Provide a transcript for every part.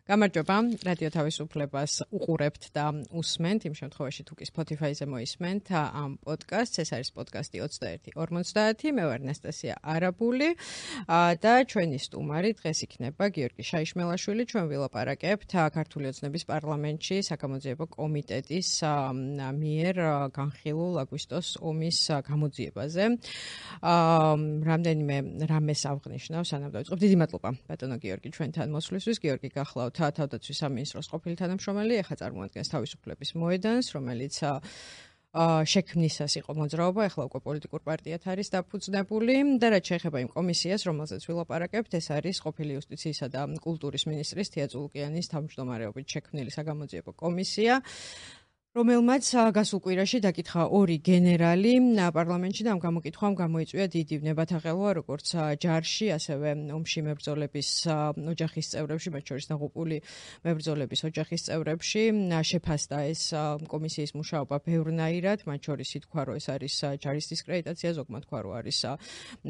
გამარჯობა, რადიო თავისუფლებას უყურებთ და უსმენთ, იმ შემთხვევაში თუ კი Spotify-ზე მოისმენთ ამ პოდკასტს, ეს არის პოდკასტი 21:50, მე ვარ ნასტასია არაბული და ჩვენი სტუმარი დღეს იქნება გიორგი შაიშმელაშვილი, ჩვენ ვილაპარაკებთ ქართული ოცნების პარლამენტში საკამოძიებო კომიტეტის მიერ განხილულ აგვისტოს ომის გამოძიებაზე. რამდენიმე რამეს ავღნიშნავ, სანამ დავიწყებ. დიდი მადლობა ბატონო გიორგი ჩვენთან მოსვლისთვის. გიორგი გახლავთ თავდაცვის სამინისტროს ყოფილი თანამშრომელი, ახლა წარმოადგენს თავისუფლების მოედანს, რომელიც შექმნისას იყო მოძრაობა, ახლა უკვე პოლიტიკურ პარტიად არის დაფუძნებული და რაც შეეხება იმ კომისიას, რომელზეც ვილაპარაკებთ, ეს არის ყოფილი იუსტიციისა და კულტურის მინისტრის თია წულკიანის თავმჯდომარეობით შექმნილი საგამოძიებო კომისია, რომელმაც გასულ კვირაში დაკითხა ორი გენერალი პარლამენტში და ამ გამოკითხვამ გამოიწვია დიდი ვნებათაღელვა როგორც ჯარში, ასევე ომში მებრძოლების ოჯახის წევრებში, მათ შორის დაღუპული მებრძოლების ოჯახის წევრებში. შეფასდა ეს კომისიის მუშაობა ბევრნაირად, მათ შორის ითქვა, რომ ეს არის ჯარის დისკრედიტაცია, ზოგმა თქვა, რომ არის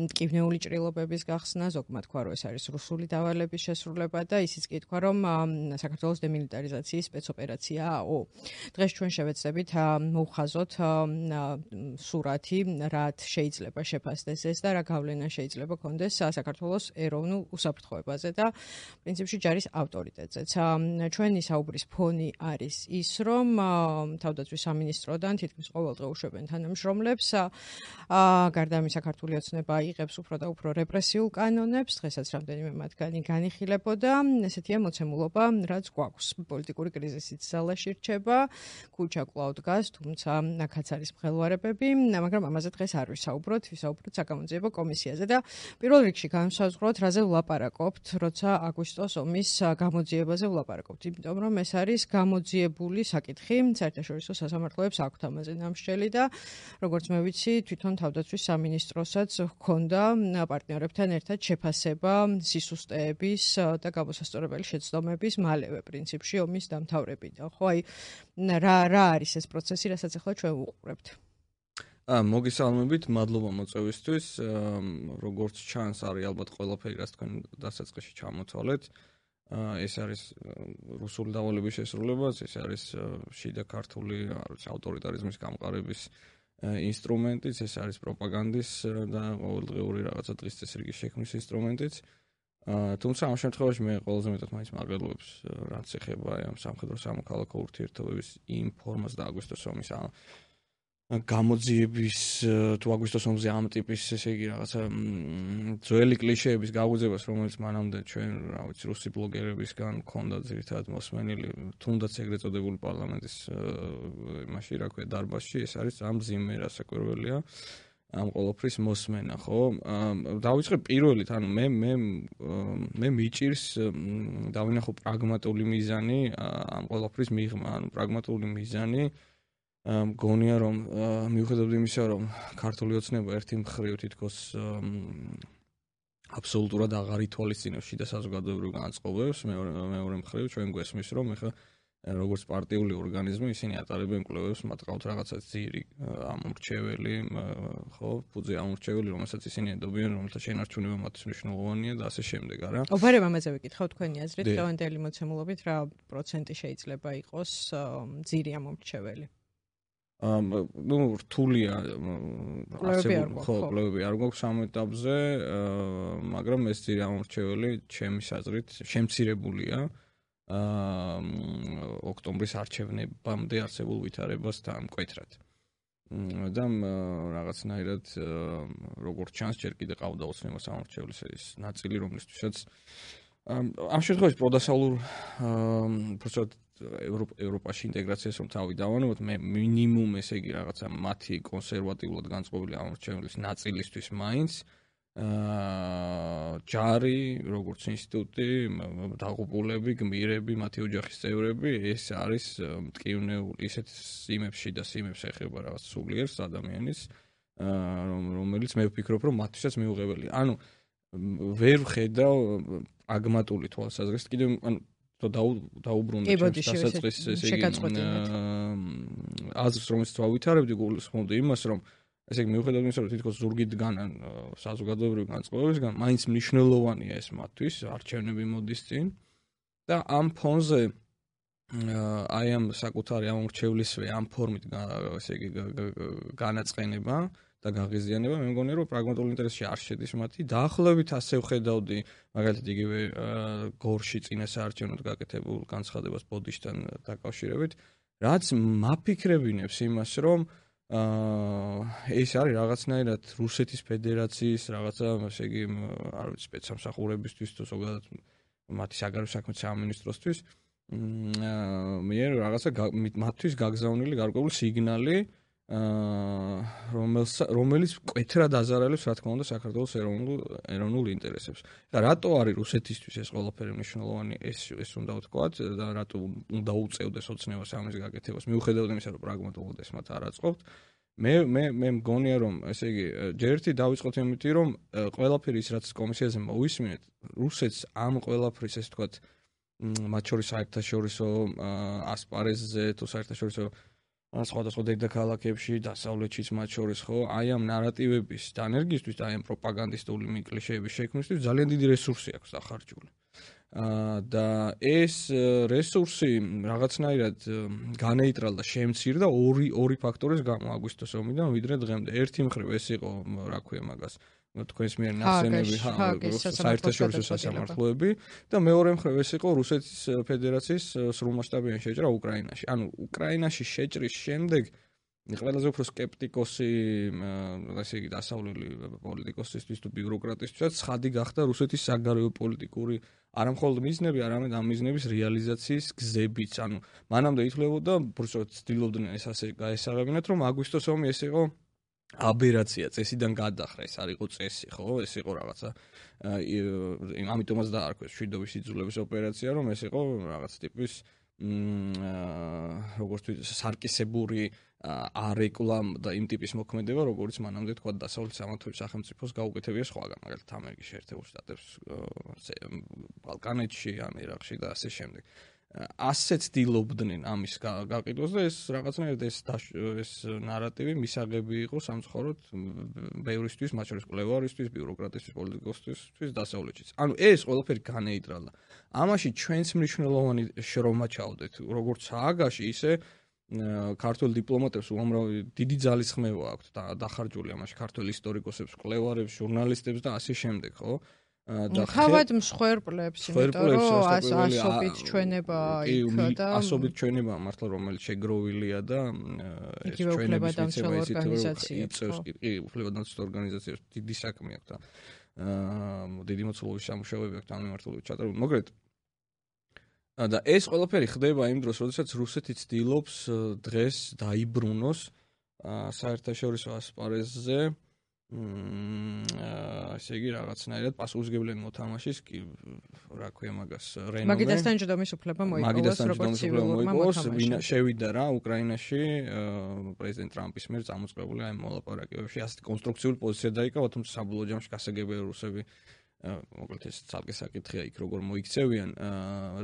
მტკივნეული ჭრილობების გახსნა, ზოგმა თქვა, რომ ეს არის რუსული დავალების შესრულება და ისიც კი ითქვა, რომ საქართველოს დემილიტარიზაციის სპეცოპერაციაა. დღეს ჩვენ შევეცდებით მოვხაზოთ სურათი, რაც შეიძლება შეფასდეს ეს და რა გავლენა შეიძლება ქონდეს საქართველოს ეროვნულ უსაფრთხოებაზე და პრინციპში ჯარის ავტორიტეტზეც. ჩვენი საუბრის ფონი არის ის, რომ თავდაცვის სამინისტროდან თითქმის ყოველდღე უშვებენ თანამშრომლებს. გარდა ამისა, ქართული ოცნება იღებს უფრო და უფრო რეპრესიულ კანონებს, დღესაც რამდენიმე მათგანი განიხილებოდა. ესეთია მოცემულობა, რაც გვაქვს. პოლიტიკური კრიზისიც ზალაში რჩება. ქუჩა კვლავ დგას, თუმცა აქაც არის მღელვარებები, მაგრამ ამაზე დღეს არ ვისაუბროთ, ვისაუბროთ საკამოძიებო კომისიაზე და პირველ რიგში განსაზღვროთ, რაზე ვლაპარაკობთ, როცა აგვისტოს ომის გამოძიებაზე ვლაპარაკობთ, იმიტომ რომ ეს არის გამოძიებული საკითხი, საერთაშორისო სასამართლოებს აქვთ ამაზე ნამსჯელი და როგორც მე ვიცი, თვითონ თავდაცვის სამინისტროსაც ჰქონდა პარტნიორებთან ერთად შეფასება სისუსტეების და გამოსასწორებელი შეცდომების მალევე პრინციპში ომის დამთავრებიდან. ხო, აი რა არის ეს პროცესი, რასაც ახლა ჩვენ ვუყურებთ? მოგესალმებით, მადლობა მოწვევისთვის. როგორც ჩანს, არის ალბათ ყველაფერი, რაც თქვენ დასაწყისში ჩამოთვალეთ. ეს არის რუსული დავალების შესრულებაც, ეს არის შიდა ქართული ავტორიტარიზმის გამყარების ინსტრუმენტიც, ეს არის პროპაგანდის და ყოველდღიური რაღაცა დღის წესრიგის შექმნის ინსტრუმენტიც. თუმცა ამ შემთხვევაში მე ყველაზე მეტად მაინც მარგებლობს, რაც ეხება ამ სამხედრო სამოქალაქო ურთიერთობების იმ ფორმას და აგვისტოს ომის გამოძიების თუ აგვისტოს ომზე ამ ტიპის, ესე იგი, რაღაცა ძველი კლიშეების გაუძებას, რომელიც მანამდე ჩვენ, რა ვიცი, რუსი ბლოგერებისგან ქონდა ძირითადად მოსმენილი, თუნდაც ეგრეთ წოდებული პარლამენტის იმაში, რა ქვია, დარბაზში, ეს არის ამ მძიმე რასაკვირველია. ამ ყოველფრის მოსმენა, ხო? დავიწყებ პირველით, ანუ მე მიჭირს დავინახო პრაგმატული მიზანი ამ ყოველფრის მიღმა, ანუ პრაგმატული მიზანი მგონია, რომ მიუხედავად იმისა, რომ ქართული ოცნება ერთი მხრივ თითქოს აბსოლუტურად აღარ ითვალისწინებს შიდა საზოგადოებრივ განწყობებს, მეორე მხრივ ჩვენ გვესმის, რომ ეხლა როგორც პარტიული ორგანიზმი ისინი ატარებენ კვლევებს, მათ ყავთ რაღაცა ძირი ამორჩეველი, ხო, ფუძე ამორჩეველი, რომელსაც ისინი ედობიან, რომელთა შენარჩუნება მათთვის მნიშვნელოვანია და ასე შემდეგ, არა? ოფარებ ამაზე ვიკითხავ თქვენი აზრით, დღევანდელი მოცემულობით რა პროცენტი შეიძლება იყოს ძირი ამორჩეველი? რთულია კვლევები არ გვაქვს ამ ეტაპზე, მაგრამ ეს ძირი ამორჩეველი ჩემის აზრით შემცირებულია ოქტომბრის არჩევნებამდე არსებულ ვითარებასთან მკვეთრად. და რაღაცნაირად როგორც ჩანს, ჯერ კიდე ყავდა ოცნება სამორჩეველის ეს ნაწილი, რომლისთვისაც ამ შემთხვევაში პროდასავლურ უბრალოდ ევროპაში ინტეგრაციას რომ თავი დავანებოთ, მე მინიმუმ ესე იგი რაღაცა მათი კონსერვატიულად განწყობილი ამორჩეველის ნაწილისთვის მაინც ჯარი, როგორც ინსტიტუტი, დაღუპულები, გმირები, მათი ოჯახის წევრები, ეს არის მტკივნეული ისეთ სიმებში და სიმებს ეხება რაღაც სულიერს ადამიანის, რომელიც მე ვფიქრობ, რომ მათთვისაც მიუღებელია. ანუ ვერ ვხედავ პრაგმატული თვალსაზრისით, კიდევ ანუ დაუბრუნდა დასაწყის ესე იგი აზრს, რომელიც დავითარებდი, გულისხმობდი იმას, რომ ესე იგი მიუხედავად იმისა, რომ თითქოს ზურგით დგანან საზოგადოებრივი განწყობებისგან, მაინც მნიშვნელოვანია ეს მათთვის, არჩევნები მოდის წინ და ამ ფონზე აი ამ საკუთარი ამ მრჩევლისვე ამ ფორმით ესე იგი განაწყენება და გაღიზიანება მე მგონი რომ პრაგმატულ ინტერესში არ შედის მათი დაახლოებით ასე ვხედავდი მაგალითად იგივე გორში წინა საარჩევნოდ გაკეთებულ განცხადებას ბოდიშთან დაკავშირებით რაც მაფიქრებინებს იმას რომ ეს არის რაღაცნაირად რუსეთის ფედერაციის რაღაცა ესე იგი არ ვიცი სპეცსამსახურებისთვის თუ ზოგადად მათი საგარეო საქმეთა სამინისტროსთვის მე რაღაცა მათთვის გაგზავნილი გარკვეული სიგნალი რომელიც მკვეთრად აზარალებს რა თქმა უნდა საქართველოს ეროვნულ ინტერესებს. და რატო არის რუსეთისთვის ეს ყველაფერი მნიშვნელოვანი ეს უნდა ვთქვათ და რატო უნდა უწევდეს ოცნებას ამის გაკეთებას მიუხედავად იმისა რომ პრაგმატულად ეს მათ არ აწყობთ მე მგონია რომ ესე იგი ჯერ ერთი დავიწყოთ იმით რომ ყველაფერი ის რაც კომისიაზე მოვისმინეთ რუსეთს ამ ყველაფრის ეს ვთქვათ მათ შორის საერთაშორისო ასპარეზზე თუ საერთაშორისო სხვადასხვა დედაქალაქებში დასავლეთშიც მათ შორის ხო აი ამ ნარატივების დანერგისთვის და აი ამ პროპაგანდისტული კლიშეების შექმნისთვის ძალიან დიდი რესურსი აქვს დახარჯული და ეს რესურსი რაღაცნაირად განეიტრალდა შემცირდა ორი ფაქტორის გამო აგვისტოს ომიდან ვიდრე დღემდე ერთი მხრივ ეს იყო რა ქვია მაგას თქვენს მიერ ნახსენები საერთაშორისო სასამართლოები და მეორე მხრივ ეს იყო რუსეთის ფედერაციის სრულმასშტაბიანი შეჭრა უკრაინაში. ანუ უკრაინაში შეჭრის შემდეგ ყველაზე უფრო სკეპტიკოსი ესე იგი დასავლელი პოლიტიკოსისთვის თუ ბიუროკრატისთვისაც ცხადი გახდა რუსეთის საგარეო პოლიტიკური არა მხოლოდ მიზნები, არამედ ამ მიზნების რეალიზაციის გზებიც. ანუ მანამდე ითვლებოდა, უბრალოდ ცდილობდნენ ეს ასე გაესაღებინათ, რომ აგვისტოს ომი ეს იყო აბერაცია წესიდან გადახრა ეს არ იყო წესი ხო ეს იყო რაღაცა ამიტომაც დაარქვეს შვიდობის იძულების ოპერაცია რომ ეს იყო რაღაც ტიპის როგორც ვთქვი სარკისებური არეკლამ და იმ ტიპის მოქმედება როგორც მანამდე თქვა დასავლეთ სახელმწიფოს გაუკეთებია სხვაგან მაგალითად ამერიკის შეერთებულ შტატებს ბალკანეთში ან ერაყში და ასე შემდეგ ასე ცდილობდნენ ამის გაყიდვას და ეს რაღაცნაირად ეს ნარატივი მისაღები იყო სამწუხაროდ ბევრისთვის, მათ შორის კვლევარისთვის, ბიუროკრატისთვის, პოლიტიკოსთვის დასავლეთშიც. ანუ ეს ყველაფერი განეიტრალდა. ამაში ჩვენს მნიშვნელოვანი შრომა ჩავდეთ, როგორც სააგაში, ისე ქართულ დიპლომატებს უამრავი დიდი ძალისხმევა აქვთ დახარჯული ამაში ქართულ ისტორიკოსებს, კვლევარებს, ჟურნალისტებს და ასე შემდეგ, ხო? თავად მსხვერპლებს, იმიტომ რომ ასობით ჩვენება იქ და ასობით ჩვენება მართლა რომელიც შეგროვილია და ეს ჩვენების ორგანიზაციებს კი უფლებადამცველ ორგანიზაციებს დიდი საქმე აქვს და დიდი მოცულობის სამუშაოები აქვს ამ მიმართულებით ჩატარებული. მოგეთ და ეს ყველაფერი ხდება იმ დროს, როდესაც რუსეთი ცდილობს დღეს დაიბრუნოს საერთაშორისო ასპარეზზე ასე იგი რაღაცნაირად პასუხისმგებლენ მოთამაშის კი რა ქვია მაგას რენომე მაგიდასთან ჯდომის უფლება მოიპოვოს როგორც ცივილურმა მოთამაშემ შევიდა რა უკრაინაში პრეზიდენტ ტრამპის მიერ წამოწყებული აი მოლაპარაკებებში ასეთი კონსტრუქციული პოზიცია დაიკავა თუმცა საბოლოო ჯამში გასაგებია რუსები მოკლედ ეს ცალკე საკითხია იქ როგორ მოიქცევიან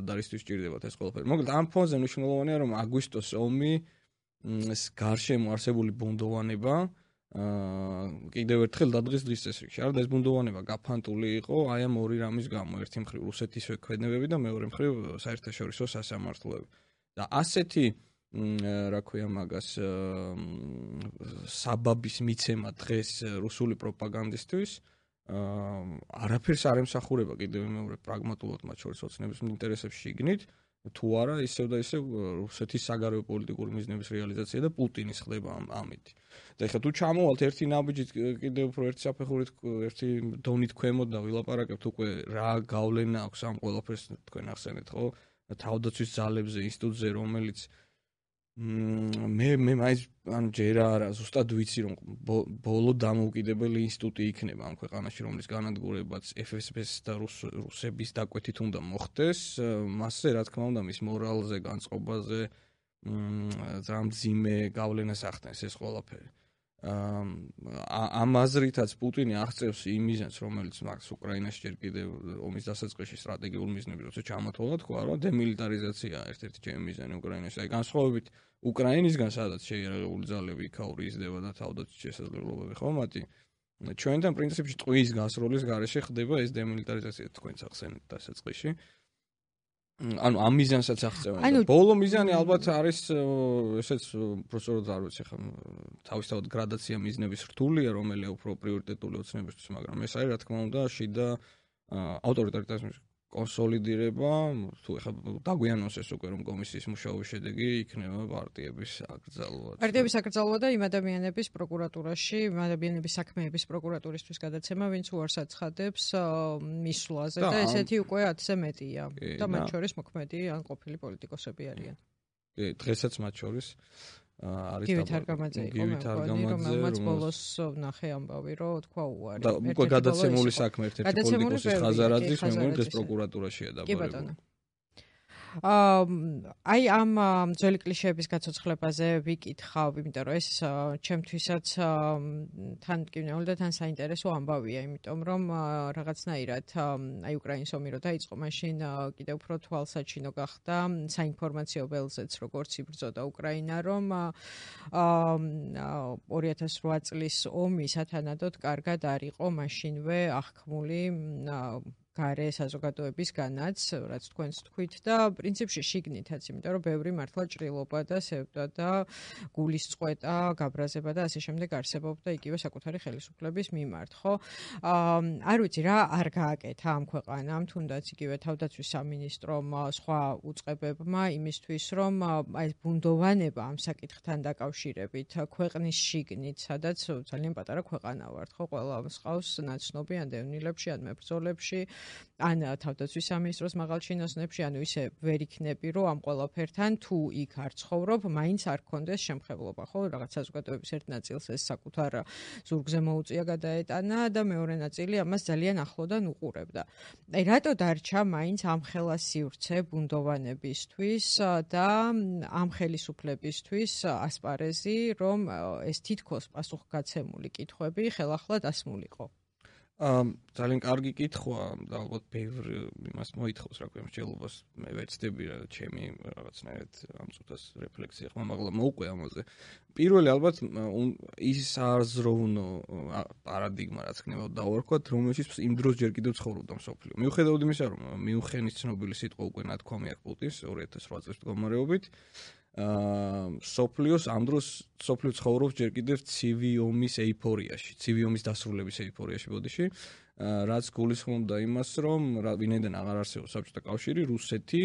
და რისთვის ჭირდებათ ეს ყველაფერი მოკლედ ამ ფონზე მნიშვნელოვანია რომ აგვისტოს ომი გარშემო არსებული ბუნდოვანება კიდევ ერთხელ დადგეს დღის წესრიგში. არა და ეს ბუნდოვანება გაფანტული იყო აი ამ ორი რამის გამო. ერთი მხრივ რუსეთის ვექმედებები და მეორე მხრივ საერთაშორისო სასამართლოები. და ასეთი რა ქვია მაგას საბაბის მიცემა დღეს რუსული პროპაგანდისტვის არაფერს არ ემსახურება კიდევ მეორე პრაგმატულად მათ შორის ოცნების ინტერესებს შიგნით თუ არა ისევ და ისევ რუსეთის საგარეო პოლიტიკური მიზნების რეალიზაცია და პუტინის ხდება ამით. და ეხლა თუ ჩამოვალთ ერთი ნაბიჯით კიდევ უფრო ერთი საფეხურით ერთი დონით ქვემოთ და ვილაპარაკებთ უკვე რა გავლენა აქვს ამ ყველაფერს თქვენ ახსენეთ ხო თავდაცვის ძალებზე ინსტიტუტზე რომელიც მე მაინც ანუ ჯერ არა ზუსტად ვიცი რომ ბოლო დამოუკიდებელი ინსტიტუტი იქნება ამ ქვეყანაში რომლის განადგურებაც FSB-ს და რუსების დაკვეთით უნდა მოხდეს მასზე რა თქმა უნდა მის მორალზე განწყობაზე ძამძიმე გავლენას ახდენს ეს ყველაფერი ამ აზრითაც პუტინი აღწევს იმ მიზანს რომელიც მაგს უკრაინაში ჯერ კიდევ ომის დასაწყისში სტრატეგიული მიზნები როცა ჩამოთვალა თქვა რომ დემილიტარიზაცია ერთ-ერთი ჩემი მიზანი უკრაინაში აი განსხვავებით უკრაინისგან სადაც შეიარაღებული ძალები იქაური იზრდება და თავდაცვის შესაძლებლობები ხო მათი ჩვენთან პრინციპში ტყვის გასროლის გარეშე ხდება ეს დემილიტარიზაცია თქვენც ახსენეთ დასაწყისში ანუ ამ მიზანსაც აღწევენ. ბოლო მიზანი ალბათ არის ესეც პროფესორად არ ვიცი ხა თავისთავად გრადაცია მიზნების რთულია, რომელია უფრო პრიორიტეტული ოცნებისთვის, მაგრამ ეს არის რა თქმა უნდა შიდა ავტორიტარიზმის კონსოლიდირება, თუ ეხლა დაგვიანონსეს უკვე რომ კომისიის მუშაობის შედეგი იქნება პარტიების აკრძალვა. პარტიების აკრძალვა და იმ ადამიანების პროკურატურაში, იმ ადამიანების საქმეების პროკურატურისთვის გადაცემა, ვინც უარს აცხადებს მისვლაზე და ესეთი უკვე 10-ზე მეტია. და მათ შორის მოქმედი ან ყოფილი პოლიტიკოსები არიან. კი, დღესაც მათ შორის არის გივით არგამაძე იყო მეგონი, რომელმაც ბოლოს ვნახე ამბავი, რომ თქვა უარი. და უკვე გადაცემული საქმე ერთ-ერთი პოლიტიკოსის ხაზარაძის, მე მგონი დღეს პროკურატურაშია კი ბატონო. აი ამ ძველი კლიშეების გაცოცხლებაზე ვიკითხავ, იმიტომ რომ ეს ჩემთვისაც თან მტკივნეული და თან საინტერესო ამბავია, იმიტომ რომ რაღაცნაირად აი უკრაინის ომი რო დაიწყო, მაშინ კიდევ უფრო თვალსაჩინო გახდა საინფორმაციო ველზეც, როგორც იბრძოდა უკრაინა, რომ 2008 წლის ომი სათანადოდ კარგად არ იყო მაშინვე აღქმული გარე საზოგადოებისგანაც, რაც თქვენს თქვით და პრინციპში შიგნითაც, იმიტომ რომ ბევრი მართლა ჭრილობა და სევდა და გულისწყვეტა, გაბრაზება და ასე შემდეგ არსებობდა იგივე საკუთარი ხელისუფლების მიმართ, ხო? არ ვიცი რა არ გააკეთა ამ ქვეყანამ, თუნდაც იგივე თავდაცვის სამინისტრომ, სხვა უწყებებმა იმისთვის, რომ აი ბუნდოვანება ამ საკითხთან დაკავშირებით ქვეყნის შიგნით, სადაც ძალიან პატარა ქვეყანა ვართ, ხო? ყველა მსყავს ნაცნობი ან დევნილებში, ან მებრძოლებში ან თავდაცვის სამინისტროს მაღალ ჩინოსნებში, ანუ ისე ვერ იქნები, რომ ამ ყველაფერთან თუ იქ არ ცხოვრობ, მაინც არ გქონდეს შემხებლობა, ხო? რაღაც საზოგადოების ერთ ნაწილს ეს საკუთარ ზურგზე მოუწია გადაეტანა და მეორე ნაწილი ამას ძალიან ახლოდან უყურებდა. აი რატო დარჩა მაინც ამ ხელა სივრცე ბუნდოვანებისთვის და ამ ხელისუფლებისთვის ასპარეზი, რომ ეს თითქოს პასუხგაცემული კითხვები ხელახლა დასმულიყო? ძალიან კარგი კითხვა და ალბათ ბევრ იმას მოითხოვს რა ქვია მსჯელობას მე ვეცდები რა ჩემი რაღაცნაირად ამ წუთას რეფლექსია ხმა მაგრამ მოუყვე ამაზე პირველი ალბათ ის აზროვნო პარადიგმა რაც ხნებოდა დავარქვათ რომელშიც იმ დროს ჯერ კიდევ ცხოვრობდა მსოფლიო მიუხედავად იმისა რომ მიუნხენის ცნობილი სიტყვა უკვე ნათქვამი აქვს პუტინს 2008 წლის მდგომარეობით სოფლიოს ამ დროს სოფლიო ცხოვრობს ჯერ კიდევ ცივი ომის ეიფორიაში, ცივი ომის დასრულების ეიფორიაში ბოდიში, რაც გულისხმობდა იმას, რომ ვინაიდან აღარ არსებობს საბჭოთა კავშირი, რუსეთი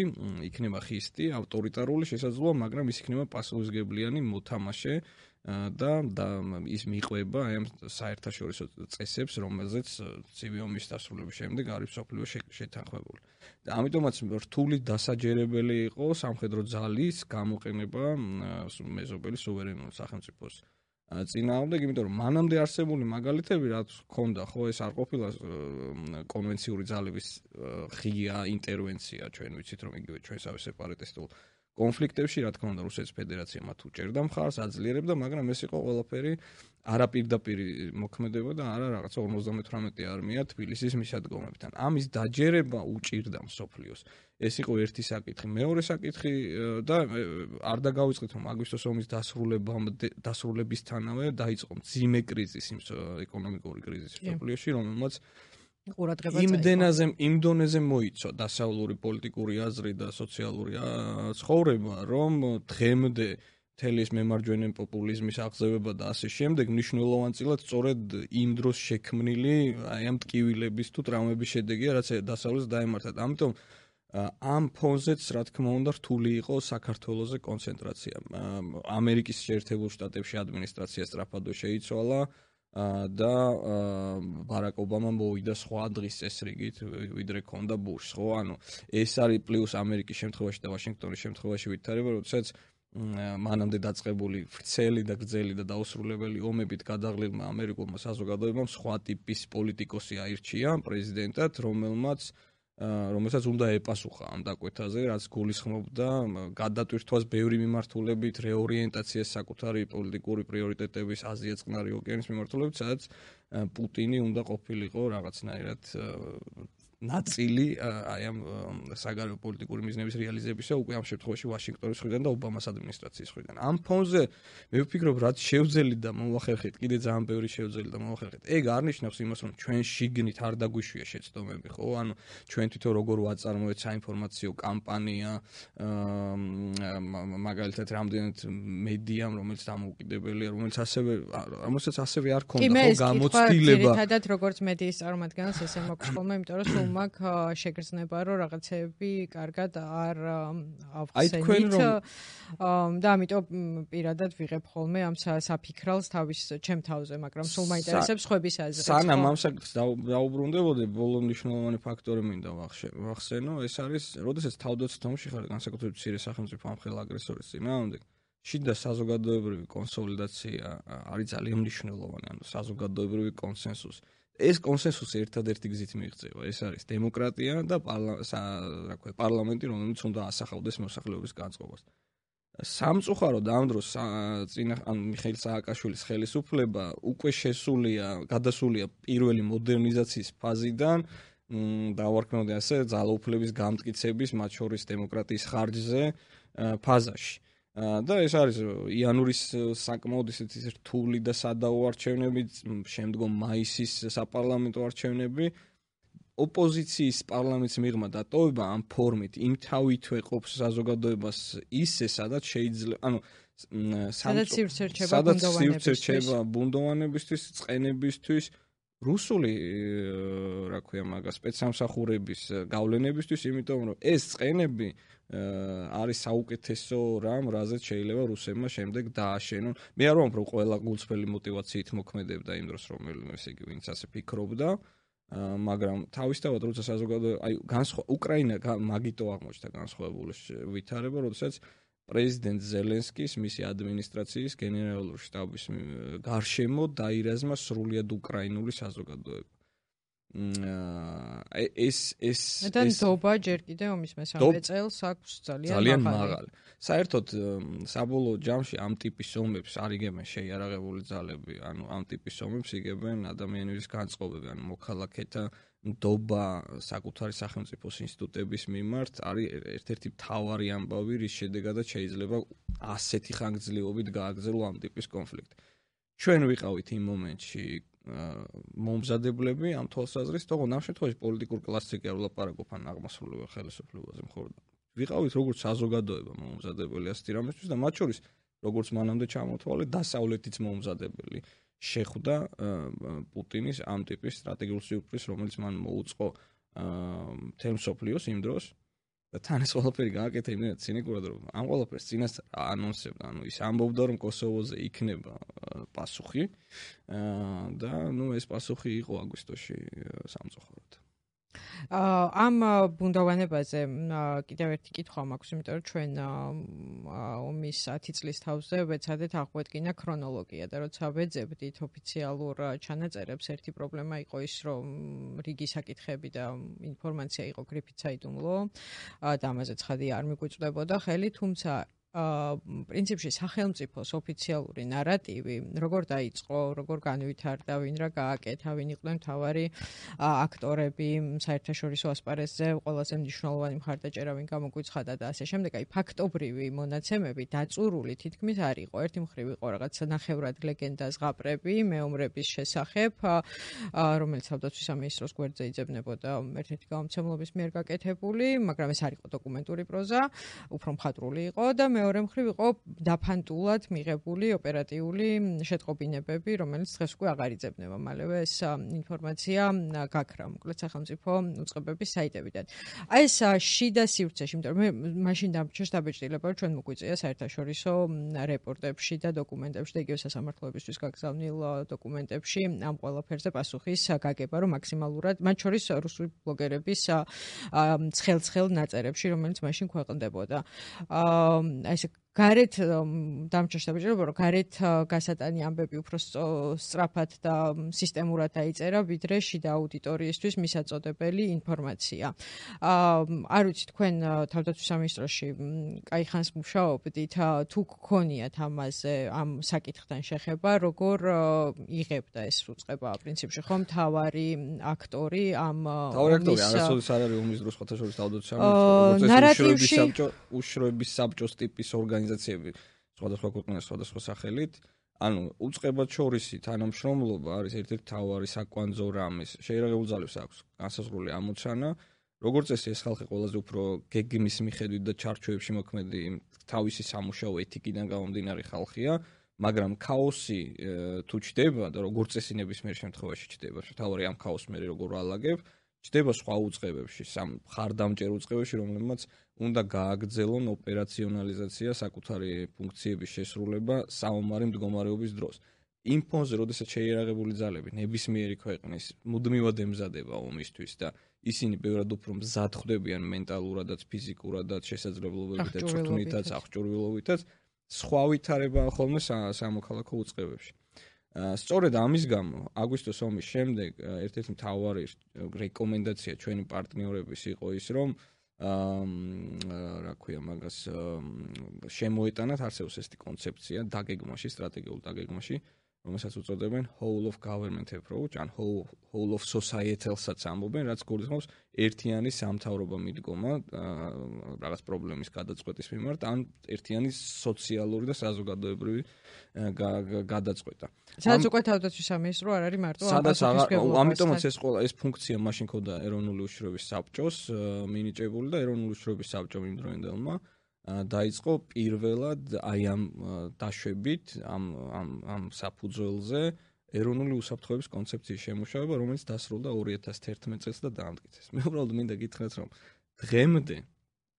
იქნება ხისტი, ავტორიტარული შესაძლოა, მაგრამ ის იქნება პასუხისმგებლიანი მოთამაშე და ის მიყვება აი ამ საერთაშორისო წესებს, რომელზეც ცივი ომის დასრულების შემდეგ არის სოფლიო შეთანხმებული. და ამიტომაც რთული დასაჯერებელი იყო სამხედრო ძალის გამოყენება მეზობელი სუვერენული სახელმწიფოს წინააღმდეგ, იმიტომ რომ მანამდე არსებული მაგალითები რაც ჰქონდა, ხო ეს არ ყოფილა კონვენციური ძალების ღია ინტერვენცია, ჩვენ ვიცით რომ იგივე ჩვენსავე სეპარატისტულ კონფლიქტებში, რა თქმა უნდა, რუსეთის ფედერაცია მათ უჭერდა მხარს, აძლიერებდა, მაგრამ ეს იყო ყველაფერი არაპირდაპირი მოქმედება და არა რაღაცა 58 არმია თბილისის მისადგომებთან. ამის დაჯერება უჭირდა მსოფლიოს. ეს იყო ერთი საკითხი. მეორე საკითხი და არ დაგავიწყეთ რომ აგვისტოს ომის დასრულებისთანავე დაიწყო მძიმე კრიზისი, ეკონომიკური კრიზისი მსოფლიოში, რომელმაც იმ დონეზე მოიცვა დასავლური პოლიტიკური აზრი და სოციალური ცხოვრება, რომ დღემდე მთელი ეს მემარჯვენე პოპულიზმის აღზევება და ასე შემდეგ მნიშვნელოვანწილად სწორედ იმ დროს შექმნილი აი ამ ტკივილების თუ ტრამვების შედეგია, რაც დასავლეთს დაემართა. ამიტომ ამ ფონზეც რა თქმა უნდა რთული იყო საქართველოზე კონცენტრაცია. ამერიკის შეერთებულ შტატებში ადმინისტრაცია სწრაფად შეიცვალა და ბარაკ ობამა მოვიდა სხვა დღის წესრიგით, ვიდრე ქონდა ბუშს, ხო? ანუ ეს არის პლუს ამერიკის შემთხვევაში და ვაშინგტონის შემთხვევაში ვითარება, როდესაც მანამდე დაწყებული ვრცელი და გრძელი და დაუსრულებელი ომებით გადაღლილმა ამერიკულმა საზოგადოებამ სხვა ტიპის პოლიტიკოსი აირჩია პრეზიდენტად, რომელსაც უნდა ეპასუხა ამ დაკვეთაზე, რაც გულისხმობდა გადატვირთვას ბევრი მიმართულებით, რეორიენტაციას საკუთარი პოლიტიკური პრიორიტეტების აზია წყნარი ოკეანის მიმართულებით, სადაც პუტინი უნდა ყოფილიყო რაღაცნაირად ნაწილი აი ამ საგარეო პოლიტიკური მიზნების რეალიზებისა უკვე ამ შემთხვევაში ვაშინგტონის მხრიდან და ობამას ადმინისტრაციის მხრიდან. ამ ფონზე მე ვფიქრობ, რაც შევძელი და მოვახერხეთ, კიდე ძალიან ბევრი შევძელი და მოვახერხეთ. ეგ არნიშნავს იმას, რომ ჩვენ შიგნით არ დაგვიშვია შეცდომები, ხო? ანუ ჩვენ თვითონ როგორ ვაწარმოეთ საინფორმაციო კამპანია, მაგალითად, რამდენად მედიამ, რომელიც დამოუკიდებელია, რომელსაც ასევე არ ქონდა ხო გამოცდილება. ერთადად როგორც მედიის წარმომადგენელს ესე მაქვს ხოლმე, იმიტომ რომ სულ მაქვს შეგრძნება, რომ რაღაცეები კარგად არ ავხსენით და ამიტომ პირადად ვიღებ ხოლმე ამ საფიქრალს ჩემ თავზე, მაგრამ სულ მაინტერესებს ხვების აზრით. სანამ ამ საკითხს დაუბრუნდებოდი, ბოლო მნიშვნელოვანი ფაქტორი მინდა ვახსენო, ეს არის, როდესაც თავდაცვის ომში ხარ, განსაკუთრებით მცირე სახელმწიფო ამხელა აგრესორის წინააღმდეგ, შიდა საზოგადოებრივი კონსოლიდაცია არის ძალიან მნიშვნელოვანი, ანუ საზოგადოებრივი კონსენსუსი. ეს კონსენსუსი ერთადერთი გზით მიიღწევა. ეს არის დემოკრატია და პარლამენტი, რომელიც უნდა ასახავდეს მოსახლეობის განწყობას. სამწუხაროდ ამ დროს მიხეილ სააკაშვილის ხელისუფლება უკვე გადასულია პირველი მოდერნიზაციის ფაზიდან, დავარქმევდი ასე ძალაუფლების გამტკიცების, მათ შორის დემოკრატიის ხარჯზე ფაზაში. და ეს არის იანვრის საკმაოდ ისეთი რთული და სადაო არჩევნები, შემდგომ მაისის საპარლამენტო არჩევნები. ოპოზიციის პარლამენტის მიღმა დატოვება ამ ფორმით იმთავითვე ყოფს საზოგადოებას ისე, სადაც შეიძლება, ანუ სადაც სივრცე რჩება ბუნდოვანებისთვის, წყენებისთვის, რუსული, რა ქვია მაგას, სპეცსამსახურების გავლენებისთვის, იმიტომ რომ ეს წყენები არის საუკეთესო რამ, რაზეც შეიძლება რუსებმა შემდეგ დააშენონ. მე არ ვამბობ, რომ ყველა გულწრფელი მოტივაციით მოქმედებდა იმ დროს, ესე იგი, ვინც ასე ფიქრობდა, მაგრამ თავისთავად როცა საზოგადოება, აი უკრაინა მაგიტო აღმოჩნდა განსხვავებული ვითარება, როდესაც პრეზიდენტ ზელენსკის, მისი ადმინისტრაციის გენერალური შტაბის გარშემო დაირაზმა სრულიად უკრაინული საზოგადოება. და ნდობა ჯერ კიდევ ომის მესამე წელს აქვს ძალიან მაღალი. საერთოდ საბოლოო ჯამში ამ ტიპის ომებს არ იგებენ შეიარაღებული ძალები, ანუ ამ ტიპის ომებს იგებენ ადამიანების განწყობები, ანუ მოქალაქეთა ნდობა საკუთარი სახელმწიფოს ინსტიტუტების მიმართ არის ერთ-ერთი მთავარი ამბავი, რის შედეგადაც შეიძლება ასეთი ხანგრძლივობით გააგრძელო ამ ტიპის კონფლიქტი. ჩვენ ვიყავით იმ მომენტში მომზადებლები ამ თვალსაზრისით, თუმცა ამ შემთხვევაში პოლიტიკურ კლასზე კი არ ვლაპარაკობ ან აღმასრულებელ ხელისუფლებაზე მხოლოდ. ვიყავით როგორც საზოგადოება მომზადებელი ასეთი რამისთვის და მათ შორის როგორც მანამდე ჩამოთვალე დასავლეთიც მომზადებელი შეხვდა პუტინის ამ ტიპის სტრატეგიულ სიურპრიზს, რომელიც მან მოუწყო მთელ მსოფლიოს იმ დროს და თან ეს ყველაფერი გააკეთა იმდენად ცინიკურად, რომ ამ ყველაფერს წინასწარ ანონსებდა, ანუ ის ამბობდა, რომ კოსოვოზე იქნება პასუხი და ეს პასუხი იყო აგვისტოში სამწუხაროდ. ამ ბუნდოვანებაზე კიდევ ერთი კითხვა მაქვს, იმიტომ რომ ჩვენ ომის 10 წლის თავზე ვეცადეთ აღვედგინა ქრონოლოგია და როცა ვეძებდით ოფიციალურ ჩანაწერებს, ერთი პრობლემა იყო ის, რომ რიგი საკითხები და ინფორმაცია იყო გრიფით საიდუმლო და ამაზე ცხადი არ მიგვიწვდებოდა ხელი, თუმცა პრინციპში სახელმწიფოს ოფიციალური ნარატივი, როგორ დაიწყო, როგორ განვითარდა, ვინ რა გააკეთა, ვინ იყვნენ მთავარი აქტორები საერთაშორისო ასპარეზზე, ყველაზე მნიშვნელოვანი მხარდაჭერა ვინ გამოგვიცხადა და ასე შემდეგ, აი ფაქტობრივი მონაცემები დაწურული თითქმის არ იყო. ერთი მხრივ იყო რაღაც ნახევრად ლეგენდა ზღაპრები, მეომრების შესახებ, რომელიც თავდაცვის სამინისტროს გვერდზე იძებნებოდა ერთ-ერთი გამომცემლობის მიერ გაკეთებული, მაგრამ ეს არ იყო დოკუმენტური პროზა, უფრო მხატვრული იყო და მეორე მხრივ იყო დაფანტულად მიღებული ოპერატიული შეტყობინებები, რომელიც დღეს უკვე აღარ იძებნება. მალევე ეს ინფორმაცია გაქრა, მოკლედ სახელმწიფო უწყებების საიტებიდან. აი ეს შიდა სივრცეში, იმიტომ რომ მე მაშინ დამჭირს დაბეჭდილება, რომ ჩვენ მოგვიწია საერთაშორისო რეპორტებში და დოკუმენტებში და იგივე სასამართლოებისთვის გაგზავნილ დოკუმენტებში ამ ყველაფერზე პასუხის გაგება, რომ მაქსიმალურად, მათ შორის რუსული ბლოგერების ცხელ-ცხელ ნაწერებში, რომელიც მაშინ ქვეყნდებოდა. აი ეს გარეთ დამჭირშებაჭირება რომ გარეთ გასატანი ამბები უფრო სწრაფად და სისტემურად დაიწერა ვიდრე შიდა აუდიტორიისთვის მისაწოდებელი ინფორმაცია. არ ვიცი თქვენ თავდაცვის სამინისტროში კაი ხანს მუშაობდით, თუ გქონიათ ამაზე ამ საკითხთან შეხება, როგორ იღებდა ეს უწყება პრინციპში ხომ თავარი aktori ამ არასოდეს არ არის ომის დროს ხოთაშორის თავდაცვის სამინისტრო, უშროების საბჭოს ტიპის ორგანიზაციები სხვადასხვა ქვეყნების სხვადასხვა სახელით. ანუ უწყებად შორისი თანამშრომლობა არის ერთ-ერთი მთავარი საკვანძო რამის. შეიარაღებულ ძალებს აქვს განსაზღვრული ამოცანა, როგორც ეს ხალხი ყველაზე უფრო გეგმის მიხედვით და ჩარჩოებში მოქმედი თავისი სამუშაო ეთიკიდან გამომდინარე ხალხია, მაგრამ ქაოსი თუ ჩდება და როგორც წესი ნებისმიერ შემთხვევაში ჩდება, თავარი ამ ქაოსს მე როგორ ვალაგებ, ჩდება სხვა უწყებებში, მხარდამჭერ უწყებებში, რომლებმაც უნდა გააგრძელონ ოპერაციონალიზაცია, საკუთარი ფუნქციების შესრულება საომარი მდგომარეობის დროს. იმ ფონზე, როდესაც შეიარაღებული ძალები ნებისმიერი ქვეყნის მუდმივად ემზადება ომისთვის და ისინი ბევრად უფრო მზად ხვდებიან მენტალურადაც, ფიზიკურადაც, შესაძლებლობებითაც, წვრთნითაც, აღჭურვილობითაც, სხვა ვითარებაა ხოლმე სამოქალაქო უწყებებში. სწორედ ამის გამო აგვისტოს ომის შემდეგ ერთ-ერთი მთავარი რეკომენდაცია ჩვენი პარტნიორების იყო ის, რომ რა ქვია მაგას შემოეტანათ არსებობს ესეთი კონცეფცია დაგეგმაში, სტრატეგიულ დაგეგმაში, რომელსაც უწოდებენ whole of government approach, ან whole of societal-საც ამბობენ, რაც გულისხმობს ერთიანი სამთავრობო მიდგომა რაღაც პრობლემის გადაწყვეტის მიმართ, ან ერთიანი სოციალური და საზოგადოებრივი გადაწყვეტა. სადაც უკვე თავდაცვის სამინისტრო არ არის მარტო ამიტომაც ეს ფუნქცია მაშინ ქონდა ეროვნული უშიშროების საბჭოს მინიჭებული და ეროვნული უშიშროების საბჭომ იმ დროინდელმა დაიწყო პირველად აი ამ დაშვებით ამ საფუძველზე ეროვნული უსაფრთხოების კონცეფციის შემუშავება, რომელიც დასრულდა 2011 წელს და დაამტკიცეს. მე უბრალოდ მინდა გითხრათ, რომ დღემდე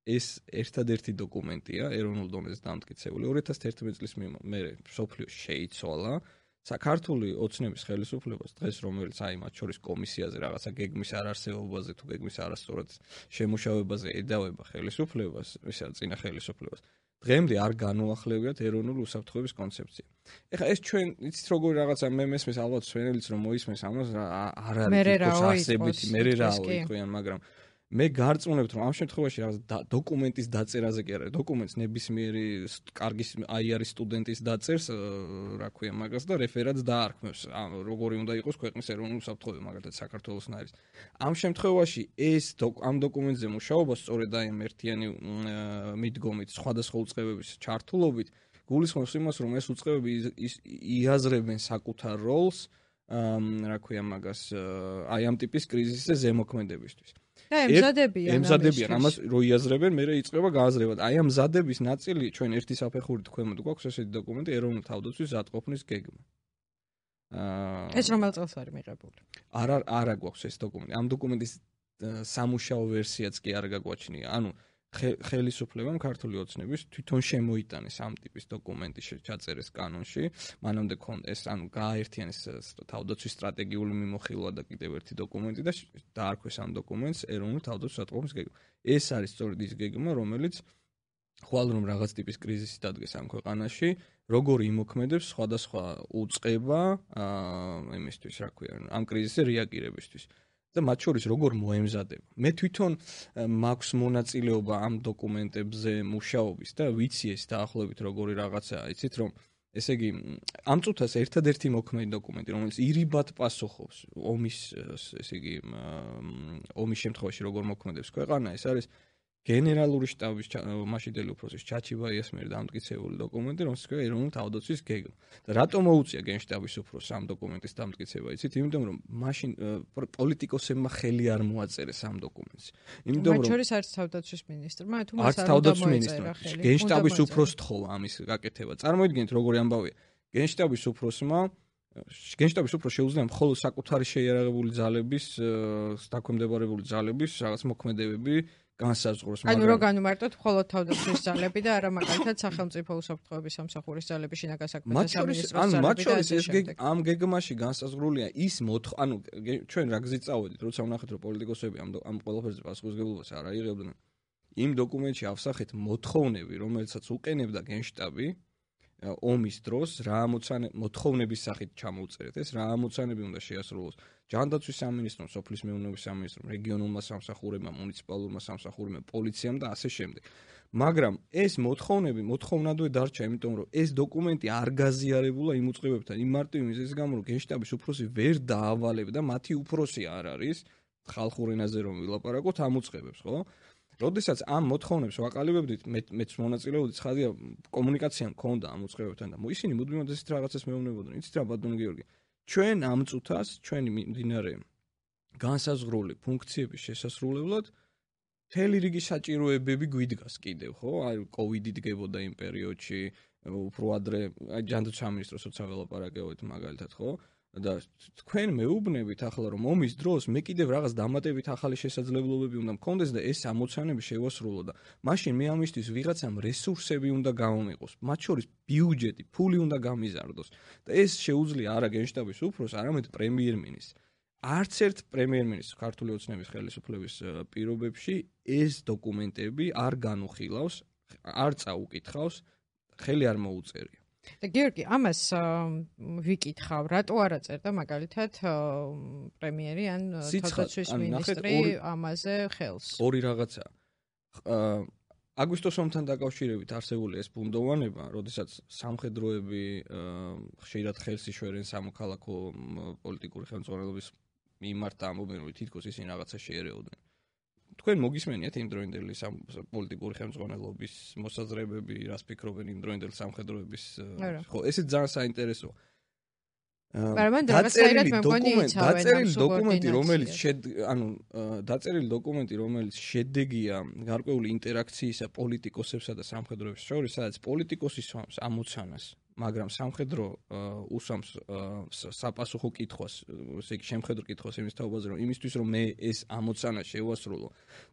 ეს ერთადერთი დოკუმენტია ეროვნულ დონეზე დამტკიცებული. 2011 წლის მერე სოფლიო შეიცვალა. საქართველოს ოცნების ხელისუფლებას დღეს რომელიც აი მათ შორის კომისიაზე რაღაცა გეგმის არარსებობაზე თუ გეგმის არასწორად შემუშავებაზე ედავება ხელისუფლებას, ისა წინა ხელისუფლებას. დღემდე არ განუახლებიათ ეროვნული უსაფრთხოების კონცეფცია. ეხლა ეს ჩვენ იცით როგორი რაღაცა მე მესმის ალბათ სვენელიც რომ მოისმენს ამას არ არის თქოს მერე რაო იყვიან, მაგრამ მე გარწმუნებთ რომ ამ შემთხვევაში რაღაც დოკუმენტის დაწერაზე კი არა, დოკუმენტს ნებისმიერი კარგი აიარის სტუდენტის დაწერს, რა ქვია მაგას და რეფერატს დაარქმევს, როგორი უნდა იყოს ქვეყნის ეროვნული უსაფრთხოება, მაგალითად საქართველოსნაირის. ამ შემთხვევაში ეს ამ დოკუმენტზე მუშაობა სწორედ აი ამ ერთიანი მიდგომით, სხვადასხვა უწყებების ჩართულობით გულისხმობს იმას, რომ ეს უწყებები იაზრებენ საკუთარ როლს, რა ქვია მაგას, აი ამ ტიპის კრიზისზე ზემოქმედებისთვის. და ემზადებიან ამას რო იაზრებენ, მერე იწყება გააზრება. აი ამ მზადების ნაწილი ჩვენ ერთი საფეხურით ქვემოთ გვაქვს ესეთი დოკუმენტი ეროვნული თავდაცვის მზადყოფნის გეგმა. ეს რომელ წელს არის მიღებული? არა გვაქვს ეს დოკუმენტი. ამ დოკუმენტის სამუშაო ვერსიაც კი არ გაგვაჩნია. ანუ ხელისუფლებამ ქართული ოცნების თვითონ შემოიტანეს ამ ტიპის დოკუმენტი ჩაწერეს კანონში, მანამდე ეს ანუ გააერთიანეს თავდაცვის სტრატეგიული მიმოხილვა და კიდევ ერთი დოკუმენტი და დაარქვეს ამ დოკუმენტს ეროვნული თავდაცვის მზადყოფნის გეგმა. ეს არის სწორედ ის გეგმა, რომელიც ხვალ რომ რაღაც ტიპის კრიზისი დადგეს ამ ქვეყანაში, როგორ იმოქმედებს სხვადასხვა უწყება იმისთვის, რა ქვია, ამ კრიზისზე რეაგირებისთვის. და მათ შორის როგორ მოემზადება. მე თვითონ მაქვს მონაწილეობა ამ დოკუმენტებზე მუშაობის და ვიცი ეს დაახლოებით როგორი რაღაცაა, იცით რომ ესე იგი ამ წუთას ერთადერთი მოქმედი დოკუმენტი, რომელიც ირიბად პასუხობს ომის, ესე იგი ომის შემთხვევაში როგორ მოქმედებს ქვეყანა, ეს არის გენერალური შტაბის მაშინდელი უფროსის ჩაჩიბაიას მიერ დამტკიცებული დოკუმენტი, რომელსაც ქვია ეროვნული თავდაცვის გეგმა. და რატომ მოუწია გენშტაბის უფროსს ამ დოკუმენტის დამტკიცება, იცით? იმიტომ რომ მაშინ პოლიტიკოსებმა ხელი არ მოაწერეს ამ დოკუმენტს. იმიტომ რომ მათ შორის არც თავდაცვის მინისტრმა, თუ მას არ მოაწერა ხელი. გენშტაბის უფროს თხოვა ამის გაკეთება. წარმოიდგინეთ როგორი ამბავია. გენშტაბის უფროსმა შეუძლია მხოლოდ საკუთარი შეიარაღებული ძალების დაქვემდებარებული ძალების რაღაც მოქმედებები განსაზღვროს, მაგრამ ანუ რო განვმარტოთ მხოლოდ თავდაცვის ძალები და არა მაგალითად სახელმწიფო უსაფრთხოების სამსახურის ძალები, შინაგან საქმეთა სამინისტროს ძალები. მათ შორის ეს ამ გეგმაში განსაზღვრულია ის ანუ ჩვენ რა გზით წავედით, როცა ვნახეთ რომ პოლიტიკოსები ამ ყველაფერზე პასუხისმგებლობას არ აიღებდნენ. იმ დოკუმენტში ავსახეთ მოთხოვნები, რომელსაც უყენებდა გენშტაბი ომის დროს, რა მოთხოვნების სახით ჩამოვწერეთ ეს, რა ამოცანები უნდა შეასრულოს ჯანდაცვის სამინისტრომ, სოფლის მეურნეობის სამინისტრომ, რეგიონულმა სამსახურებმა, მუნიციპალურმა სამსახურებმა, პოლიციამ და ასე შემდეგ. მაგრამ ეს მოთხოვნადვე დარჩა, იმიტომ რომ ეს დოკუმენტი არ გაზიარებულა იმ უწყებებთან, იმ მარტივი მიზეზის გამო, რომ გენშტაბის უფროსი ვერ დაავალებდა, მათი უფროსი არ არის, ხალხურ ენაზე რომ ვილაპარაკოთ, ამ უწყებებს, ხო? როდესაც ამ მოთხოვნებს ვაყალიბებდით, მეც მონაწილეობდი, ცხადია, კომუნიკაცია მქონდა ამ უწყებებთან და ისინი მუდმივად ესეთ რაღაცას მეუბნებოდნენ. იცით რა, ბატონო გიორგი, ჩვენ ამ წუთას, ჩვენი მიმდინარე განსაზღვრული ფუნქციების შესასრულებლად მთელი რიგი საჭიროებები გვიდგას კიდევ, ხო? აი, კოვიდი დგებოდა იმ პერიოდში, უფრო ადრე, აი, ჯანდაცვის სამინისტროს როცა ველაპარაკებთ მაგალითად, ხო? და თქვენ მეუბნებით ახლა რომ ომის დროს მე კიდევ რაღაც დამატებით ახალი შესაძლებლობები უნდა მქონდეს და ეს ამოცანები შევასრულო და მაშინ მე ამისთვის ვიღაცამ რესურსები უნდა გამომიყოს, მათ შორის ბიუჯეტი, ფული უნდა გამიზარდოს და ეს შეუძლია არა გენშტაბის უფროს, არამედ პრემიერ-მინისტრს. არც ერთ პრემიერ-მინისტრს ქართული ოცნების ხელისუფლების პირობებში ეს დოკუმენტები არ განუხილავს, არ წაუკითხავს, ხელი არ მოუწერია. და გიორგი, ამას ვიკითხავ, რატო არა წერდა მაგალითად პრემიერი ან თავდაცვის მინისტრი ამაზე ხელს? ორი რაღაცა. აგვისტოს ომთან დაკავშირებით არსებული ეს ბუნდოვანება, როდესაც სამხედროები ხშირად ხელს იშველენ სამოქალაქო პოლიტიკური ხელმძღვანელობის მიმართ და ამბობენ, რომ თითქოს ისინი რაღაცა შეერეოდნენ. თქვენ მოგისმენიათ იმ დროინდელი პოლიტიკური ხელმძღვანელობის მოსაზრებები, რას ფიქრობენ იმ დროინდელი სამხედროების, ხო, ესეც ძალიან საინტერესოა. დაწერილი დოკუმენტი, რომელიც შედეგია გარკვეული ინტერაქციისა პოლიტიკოსებსა და სამხედროების შორის, სადაც პოლიტიკოსი სვამს ამოცანას, მაგრამ სამხედრო უსვამს საპასუხო კითხვას, ესე იგი შემხედრო კითხვას იმის თაობაზე, რომ იმისთვის რომ მე ეს ამოცანა შევასრულო,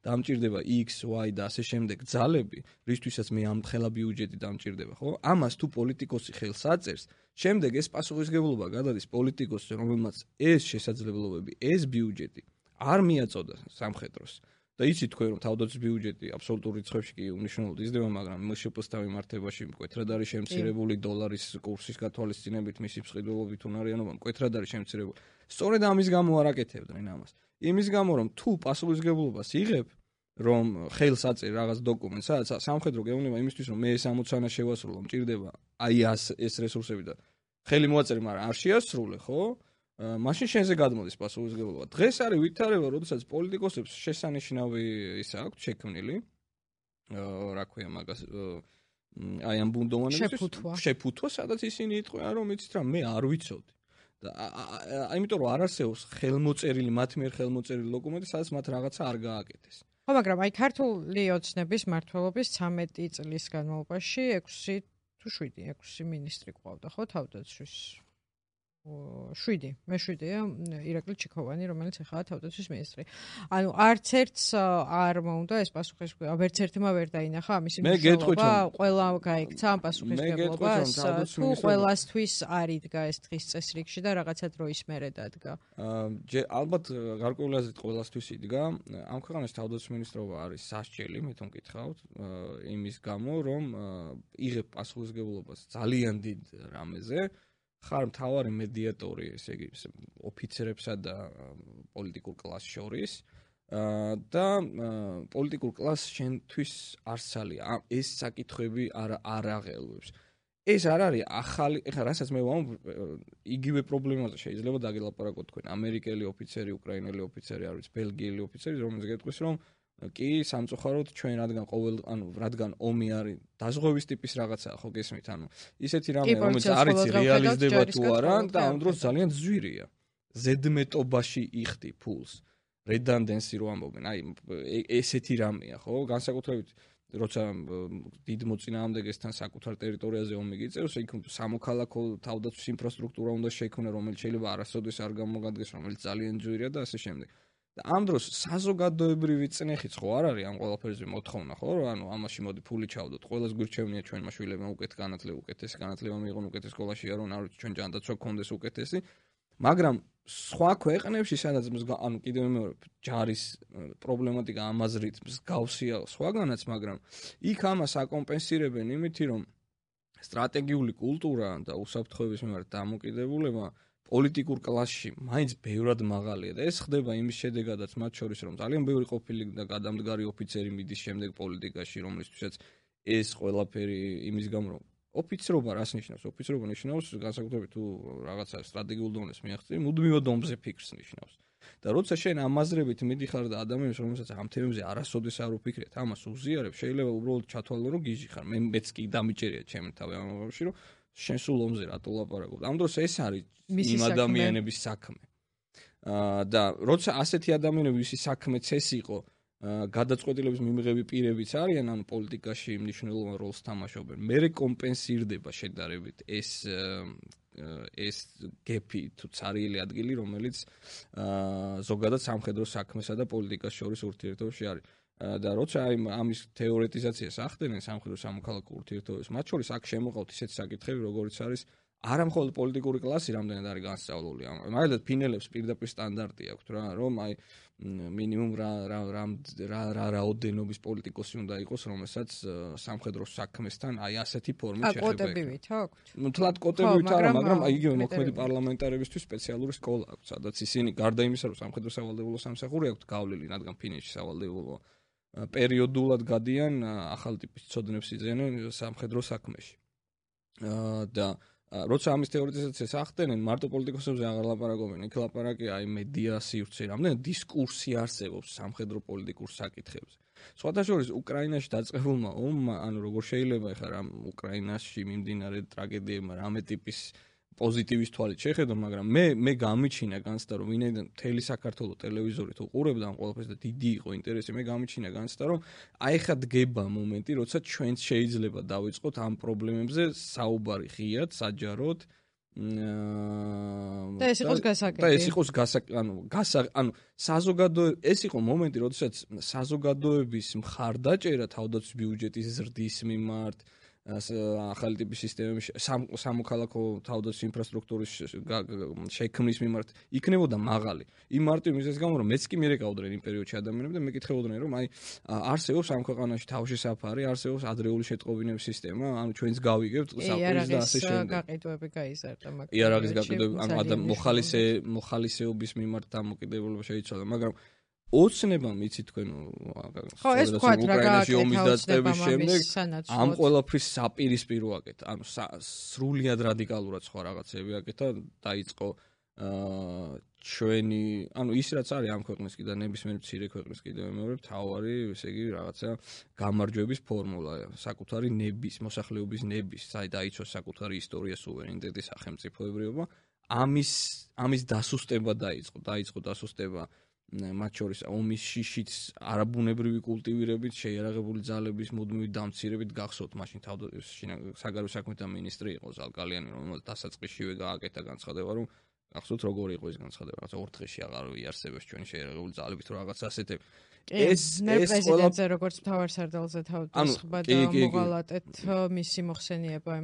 დამჭირდება X, Y და ასე შემდეგ ძალები, რისთვისაც მე ამ ხელა ბიუჯეტი დამჭირდება, ხო? ამას თუ პოლიტიკოსი ხელს აწერს, შემდეგ ეს პასუხისმგებლობა გადადის პოლიტიკოსს, რომელმაც ეს შესაძლებლობები, ეს ბიუჯეტი არ მიაწოდა სამხედროს. და იცით თქვენ რომ თავდაცვის ბიუჯეტი აბსოლუტურ რიცხვებში კი უნიშნელოდ იზრდება, მაგრამ მშპ-ს მიმართებაში მკვეთრად არის შემცირებული დოლარის კურსის გათვალისწინებით, მისი მსყიდველობით უნარიანობა მკვეთრად არის შემცირებული. სწორედ ამის გამო არ აკეთებდნენ ამას. იმის გამო რომ თუ პასუხისმგებლობას იღებ, რომ ხელს აწერ რაღაც დოკუმენტს, სადაც სამხედრო გეუბნება იმისთვის, რომ მე ეს ამოცანა შევასრულო, მჭირდება აი ეს რესურსები და ხელი მოაწერე, მაგრამ არ შეასრულე, ხო? მაშინ შენზე გადმოდის პასუხისმგებლობა. დღეს არის ვითარება, როდესაც პოლიტიკოსებს შესანიშნავი ისა აქვთ შექმნილი, რა ქვია მაგას, აი ამ ბუნდოვანებისთვის შეფუთვა, სადაც ისინი იტყვიან, რომ იცით რა, მე არ ვიცოდი. და იმიტომ რომ არ არსებობს ხელმოწერილი, მათ მიერ ხელმოწერილი დოკუმენტი, სადაც მათ რაღაცა არ გააკეთეს. ხო, მაგრამ აი ქართული ოცნების მმართველობის 13 წლის განმავლობაში 6 თუ 7 მინისტრი ყავდა, ხო, თავდაცვის 7-ია ირაკლი ჩიქოვანი, რომელიც ახლა თავდაცვის მინისტრი. ანუ არც ერთს არ მოუნდა ეს პასუხისმგებლობა, ვერც ერთმა ვერ დაინახა ამისი მნიშვნელობა, ყველა გაიქცა ამ პასუხისმგებლობას, თუ ყველასთვის არ იდგა ეს დღის წესრიგში და რაღაცა დროის მერე დადგა. ალბათ გარკვეული აზრით ყველასთვის იდგა. ამ ქვეყანაში თავდაცვის მინისტრობა არის სასჯელი, მე თვითონ მკითხავთ, იმის გამო, რომ იღებ პასუხისმგებლობას ძალიან დიდ რამეზე. ხარ მთავარი მედიატორი, ესე იგი, ოფიცერებსა და პოლიტიკურ კლასს შორის და პოლიტიკურ კლასს შენთვის არსალია. ეს საკითხები არ აღელვებს. ეს არ არის ახალი, ეხლა რასაც მე ვამბობ, იგივე პრობლემაზე შეიძლება დაგელაპარაკოთ თქვენ. ამერიკელი ოფიცერი, უკრაინელი ოფიცერი, არ ვიცი, ბელგიელი ოფიცერი, რომელიც გეტყვის, რომ კი სამწუხაროდ ჩვენ რადგან ომი არის დაზღვევის ტიპის რაღაცაა, ხო გესმით, ისეთი რამე რომელიც არის რეალიზდება თუ არა და ამ დროს ძალიან ძვირია. ზედმეტობაში იხდი ფულს. redundancy რო ამბობენ, აი ესეთი რამეა, ხო? განსაკუთრებით როცა დიდ მოწინააღმდეგესთან საკუთარ ტერიტორიაზე ომი გიწევს, იქ სამოქალაქო თავდაცვის ინფრასტრუქტურა უნდა შექმნას, რომელიც შეიძლება არასოდეს არ გამოგადგეს, რომელიც ძალიან ძვირია და ასე შემდეგ. და ამ დროს საზოგადოებრივი წნეხიც ხო არ არის ამ ყველაფერზე მოთხოვნა, ხო? ანუ ამაში მოდი ფული ჩავდოთ. ყველას გვირჩევნია ჩვენმა შვილებმა უკეთესი განათლება მიიღონ, უკეთეს სკოლაში არო, არ ვიცი, ჩვენ ჯანდაცვა გქონდეს უკეთესი. მაგრამ სხვა ქვეყნებში სადაც ანუ კიდევ მეორე ჯარის პრობლემატიკა ამაზრით მსგავსია სხვაგანაც, მაგრამ იქ ამას აკომპენსირებენ იმითი, რომ სტრატეგიული კულტურა და უსაფრთხოების მიმართ დამოკიდებულება პოლიტიკურ კლასში მაინც ბევრად მაღალია და ეს ხდება იმის შედეგადაც მათ შორის, რომ ძალიან ბევრი ყოფილი და გადამდგარი ოფიცერი მიდის შემდეგ პოლიტიკაში, რომლისთვისაც ეს ყველაფერი იმის გამო რომ ოფიცრობა რას ნიშნავს? ოფიცრობა ნიშნავს განსაკუთრებით თუ რაღაცა სტრატეგიულ დონეს მიაღწევ, მუდმივად ომზე ფიქრს ნიშნავს. და როცა შენ ამაზრებით მიდიხარ და ადამიანს რომელსაც ამ თემებზე არასოდეს არ უფიქრეთ, ამას უზიარებ, შეიძლება უბრალოდ ჩათვალო რომ გიჟი ხარ. მეც კი დამიჭერია ჩემი თავი ამ მომენტში, რომ შენ სულ ომზე რატო ლაპარაკობ? ამ დროს ეს არის იმ ადამიანების საქმე. და როცა ასეთი ადამიანები ვისი საქმეც ეს იყო, გადაწყვეტილების მიმღები პირებიც არიან, ანუ პოლიტიკაში მნიშვნელოვან როლს თამაშობენ. მერე კომპენსირდება შედარებით ეს გეპი თუ ცარიელი ადგილი, რომელიც ზოგადად სამხედრო საქმესა და პოლიტიკას შორის ურთიერთობაში არის. და როცა ამის თეორეტიზაციას ახდენენ სამხედრო სამოქალაქო ურთიერთობებს, მათ შორის აქ შემოყავთ ისეთი საკითხები, როგორიც არის არა მხოლოდ პოლიტიკური კლასი რამდენად არის განსწავლული. მაგალითად ფინელებს პირდაპირ სტანდარტი აქვთ რა, რომ აი მინიმუმ რა რაოდენობის პოლიტიკოსი უნდა იყოს, რომელსაც სამხედრო საქმესთან აი ასეთი ფორმით შეხება. კოტები ვით აქვთ? ნუ თლად კოტები არა, მაგრამ აი იგივე მოქმედი პარლამენტარებისთვის სპეციალური სკოლა აქვს, სადაც ისინი გარდა იმისა, რომ სამხედრო სავალდებულო სამსახური აქვთ გავლილი, რადგან ფინეთში სავალდებულო პერიოდულად გადიან ახალ ტიპის ცოდნებს იძენენ სამხედრო საქმეში. და როცა ამის თეორეტიზაციას ახდენენ, მარტო პოლიტიკოსებზე აღარ ლაპარაკობენ, იქ ლაპარაკია აი მედია სივრცე, რამდენი დისკურსი არსებობს სამხედრო პოლიტიკურ საკითხებზე. სხვათა შორის უკრაინაში დაწყებულმა ომმა, ანუ როგორ შეიძლება ეხლა რა უკრაინაში მიმდინარე ტრაგედიებმა რამე ტიპის პოზიტივის თვალით შეხედო, მაგრამ მე გამიჩინა განცდა, რომ ვინაიდან მთელი საქართველოს ტელევიზორით უყურებდა ამ ყველაფერს და დიდი იყო ინტერესი, მე გამიჩინა განცდა, რომ აი ხა დგება მომენტი, როცა ჩვენც შეიძლება დავიწყოთ ამ პრობლემებზე საუბარი ღიად, საჯაროდ და ეს იყოს გასაგები. და ეს იყოს ანუ ეს იყო მომენტი, როდესაც საზოგადოების მხარდაჭერა თავდაცვის ბიუჯეტის ზრდის მიმართ ახალი ტიპის სისტემების სამოქალაქო თავდაცვის ინფრასტრუქტურის შექმნის მიმართ იქნებოდა მაღალი. იმ მარტივ მიზეზის გამო, რომ მეც კი მიერეკავდნენ იმ პერიოდში ადამიანები და მეკითხებოდნენ, რომ აი არსებობს ამ ქვეყანაში თავში საფარი, არსებობს ადრეული შეტყობინების სისტემა, ანუ ჩვენც გავიგებთ საფუძველს და ასე შემდეგ. გაყიდვები გაიზარდა, მაგრამ იარაღის გაყიდვები, ანუ მოხალისეობის მიმართ დამოკიდებულება შეიცვალა, მაგრამ ოცნებამ იცი თქვენ ეს თქვათ რა უკრაინაში ომის დაწყების შემდეგ სანაცვლოდ ამ ყველაფრის საპირისპირო აკეთა, ანუ სრულიად რადიკალურად სხვა რაღაცები აკეთა, დაიწყო ჩვენი, ანუ ის რაც არის ამ ქვეყნის კიდე ნებისმიერ მცირე ქვეყნის კიდევ მეორე მთავარი, ესე იგი რაღაცა გამარჯვების ფორმულა, საკუთარი ნების, მოსახლეობის ნების, დაიცვა საკუთარი ისტორია, სუვერენიტეტი, სახელმწიფოებრიობა, ამის დასუსტება დაიწყო დასუსტება მათ შორის ომის შიშიც არაბუნებრივი კულტივირებით, შეიარაღებული ძალების მუდმივი დამცირებით გახსოვთ, მაშინ საგარეო საქმეთა მინისტრი იყო ზალკალიანი, რომელსაც დასაწყისშივე გააკეთა განცხადება, რომ გახსოვთ როგორი იყო ეს განცხადება, რაღაცა 4 დღეში აღარ იარსებებს ჩვენი შეიარაღებული ძალებით, რომ რაღაცა ასეთები. ეს პრეზიდენტზე როგორც მთავარსარდალზე თავდასხმა და მოღალატეთ მისი მოხსენიება.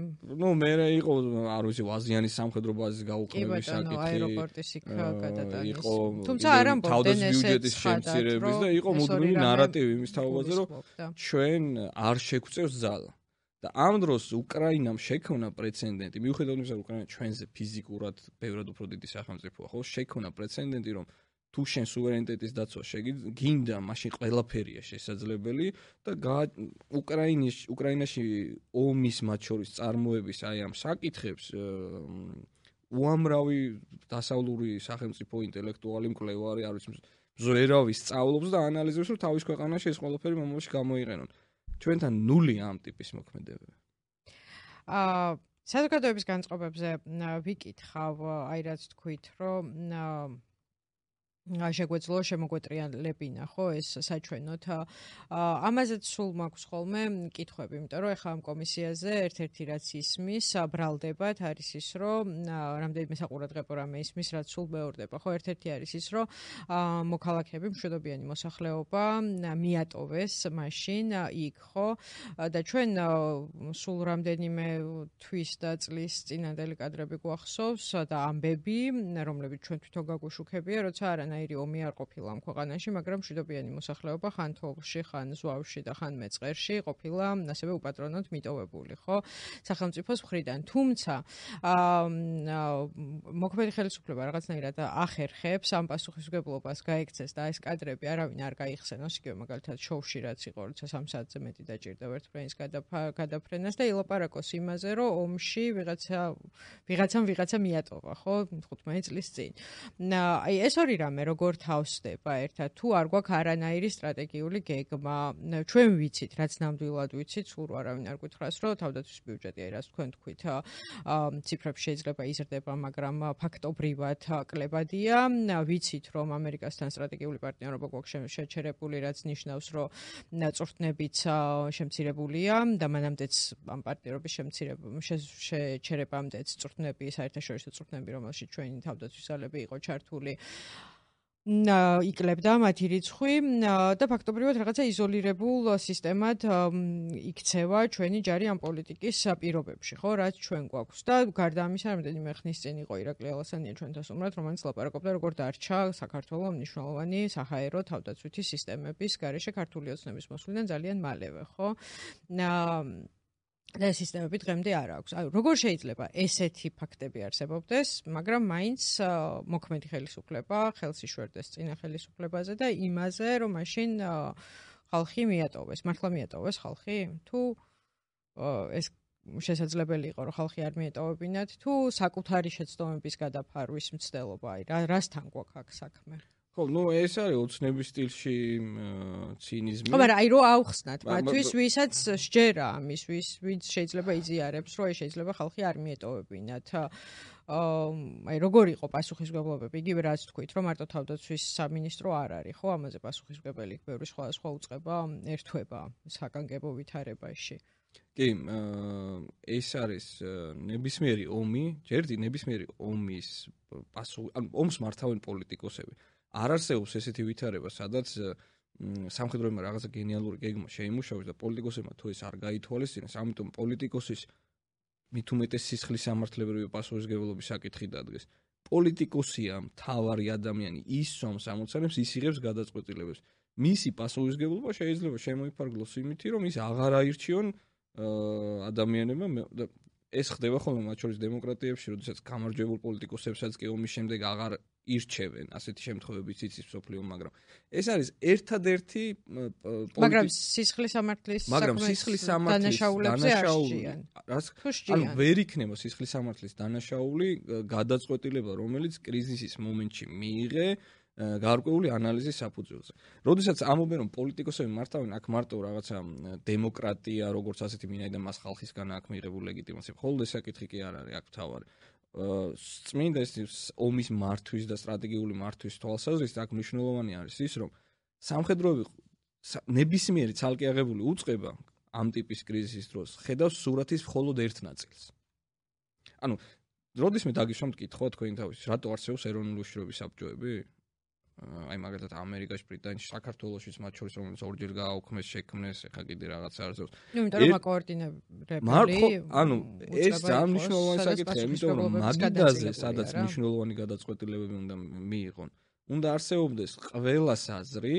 ნუ მე იყო, არ ვიცი, აზიანის სამხედრო ბაზის გაუქმების საკითხი. აეროპორტის იქ გადატანის. იყო თუმცა არ ამბობდნენ ბიუჯეტის შემცირების და იყო მუდმივი ნარატივი იმის თაობაზე, რომ ჩვენ არ შეგვწევს ძალა. და ამ დროს უკრაინამ შექმნა პრეცედენტი, მიუხედავად იმისა, რომ უკრაინა ჩვენზე ფიზიკურად ბევრად უფრო დიდი სახელმწიფოა, ხო, შექმნა პრეცედენტი, რომ თუ შენ სუვერენიტეტის დაცვა გინდა, მაშინ ყველაფერია შესაძლებელი და უკრაინაში ომის მათ შორის წარმოების აი ამ საკითხებს უამრავი დასავლური სახელმწიფო ინტელექტუალი მკვლევარი, არ ვიცი, ზვერავი სწავლობს და ანალიზებს, რომ თავის ქვეყანაში ეს ყველაფერი მომავალში გამოიყენონ. ჩვენთან ნულია ამ ტიპის მოქმედებები. საზოგადოების განწყობებზე ვიკითხავ, აი რაც თქვით, რომ შეგვეძლო შემოგვეტრიალებინა ხო ეს საჩვენოთ ამაზეც სულ მაქვს ხოლმე კითხვები იმიტომ რომ ეხლა ამ კომისიაზე ერთ-ერთი რაც ისმის ბრალდებათ არის ის რომ რამდენიმე საყურადღებო რამე ისმის რაც სულ მეორდება ხო ერთ-ერთი არის ის რომ მოქალაქეები მშვიდობიანი მოსახლეობა მიატოვეს მაშინ იქ ხო და ჩვენ სულ რამდენიმე თვის და წლის წინანდელი კადრები გვახსოვს და ამბები რომლებიც ჩვენ თვითონ გაგვიშუქებია როცა არანაირი ომი არ ყოფილა ამ ქვეყანაში, მაგრამ მშვიდობიანი მოსახლეობა ხან თოვლში, ხან ზვავში და ხან მეწყერში ყოფილა ასევე უპატრონოდ მიტოვებული, ხო? სახელმწიფოს მხრიდან. თუმცა მოქმედი ხელისუფლება რაღაცნაირად ახერხებს ამ პასუხისმგებლობას გაექცეს და ეს კადრები არავინ არ გაიხსენოს, იგივე მაგალითად შოუში რაც იყო, როცა 3 საათზე მეტი დაჭირდა ვერტმფრენის გადაფრენას და ილაპარაკოს იმაზე, რომ ომში ვიღაცამ მიატოვა, ხო? 15 წლის წინ. აი ეს ორი რამე როგორ თავსდება ერთად თუ არ გვაქვს არანაირი სტრატეგიული გეგმა ჩვენ ვიცით რაც ნამდვილად ვიცით სულ არავინ არ გითხრას რომ თავდაცვის ბიუჯეტი აი რაც თქვენ თქვით ციფრებში შეიძლება იზრდება მაგრამ ფაქტობრივად კლებადია ვიცით რომ ამერიკასთან სტრატეგიული პარტნიორობა გვაქვს შეჩერებული რაც ნიშნავს რომ წვრთნებიც შემცირებულია და მანამდეც ამ პარტნიორობის შეჩერებამდეც წვრთნები საერთაშორისო წვრთნები რომელშიც ჩვენი თავდაცვის ძალები იყო ჩართული იკლებდა მათი რიცხვი და ფაქტობრივად რაღაცა იზოლირებულ სისტემად იქცევა ჩვენი ჯარი ამ პოლიტიკის პირობებში, ხო, რაც ჩვენ გვაქვს და გარდა ამისა, რამდენიმე ხნის წინ იყო ირაკლი ალასანია ჩვენთან სტუმრად, რომელიც ლაპარაკობდა, როგორ დარჩა საქართველოს მნიშვნელოვანი საჰაერო თავდაცვითი სისტემების გარეშე ქართული ოცნების მოსვლიდან ძალიან მალევე, ხო? და სისტემები დღემდე არ აქვს. აი, როგორ შეიძლება ესეთი ფაქტები არსებობდეს, მაგრამ მაინც მოქმედი ხელისუფლება ხელს იშვერდეს წინა ხელისუფლებაზე და იმაზე, რომ მაშინ ხალხი მიატოვეს. მართლა მიატოვეს ხალხი? თუ ეს შესაძლებელი იყო, რომ ხალხი არ მიეტოვებინათ, თუ საკუთარი შეცდომების გადაფარვის მცდელობა, აი, რასთან გვაქვს აქ საქმე? ხო, ეს არის ოცნების სტილში ცინიზმი. ხო, მაგრამ აი რო ავხსნათ მათთვის, ვისაც სჯერა ამის, ვინც შეიძლება იზიარებს, რომ შეიძლება ხალხი არ მიეტოვებინათ. აი როგორ იყო პასუხისმგებლობები? იგივე რაც თქვით, რომ მარტო თავდაცვის სამინისტრო არ არის, ხო, ამაზე პასუხისმგებელი ბევრი სხვა უწყება ერთვება საკანგებო ვითარებაში. კი, ეს არის ნებისმიერი ომი, ჯერდი ნებისმიერი ომის ომს მართავენ პოლიტიკოსები. არ არსებობს ესეთი ვითარება, სადაც სამხედროებმა რაღაცა გენიალური გეგმა შეიმუშავეს და პოლიტიკოსებმა თუ ეს არ გაითვალისწინეს, ამიტომ პოლიტიკოსის მით უმეტეს სისხლის სამართლებრივი პასუხისმგებლობის საკითხი დადგეს. პოლიტიკოსია მთავარი ადამიანი, ის სვამს ამოცანებს, ის იღებს გადაწყვეტილებებს. მისი პასუხისმგებლობა შეიძლება შემოიფარგლოს იმით, რომ ის აღარ აირჩიონ ადამიანებმა და ეს ხდება ხოლმე მათ შორის დემოკრატიებში, როდესაც გამარჯვებულ პოლიტიკოსებსაც კი ომის შემდეგ აღარ ირჩევენ, ასეთი შემთხვევებიც იცის მსოფლიო, მაგრამ ეს არის ერთადერთი მაგრამ სისხლის სამართლის დანაშაულებზე ანუ ვერ იქნება სისხლის სამართლის დანაშაული გადაწყვეტილება, რომელიც კრიზისის მომენტში მიიღე გარკვეული ანალიზის საფუძველზე. როდესაც ამობენ რომ პოლიტიკოსები მართავენ აქ მარტო რაღაცა დემოკრატია, როგორც ასეთი მინაიდან მას ხალხისგან აქვს მიღებული ლეგიტიმაცია. ხოლმე საკითხი კი არ არის აქ თავარი. წმინდა ეს ომის მართვის და სტრატეგიული მართვის თვალსაზრისით აქ მნიშვნელოვანი არის ის, რომ სამხედროები ნებისმიერი ცალკე აღებული უწყება ამ ტიპის კრიზისის დროს ხედავს სურათის მხოლოდ ერთ ნაწილს. ანუ როდესაც დაგიშვამთ კითხვა თქვენი თავის, რატო არსებობს ეროვნული უშიშროების საბჭოები? აი მაგალითად ამერიკაში, ბრიტანეთში, საქართველოშიც მათ შორის რომელიც ორჯერ გააუქმეს, შექმნეს, ეხა კიდე რაღაცა არსებობს. იმიტომ რომ აკოორდინირებელი ანუ ეს ძალიან მნიშვნელოვანი საკითხია, იმიტომ რომ მაგიდაზე, სადაც მნიშვნელოვანი გადაწყვეტილებები უნდა მიიღონ, უნდა არსებობდეს ყველა საზრი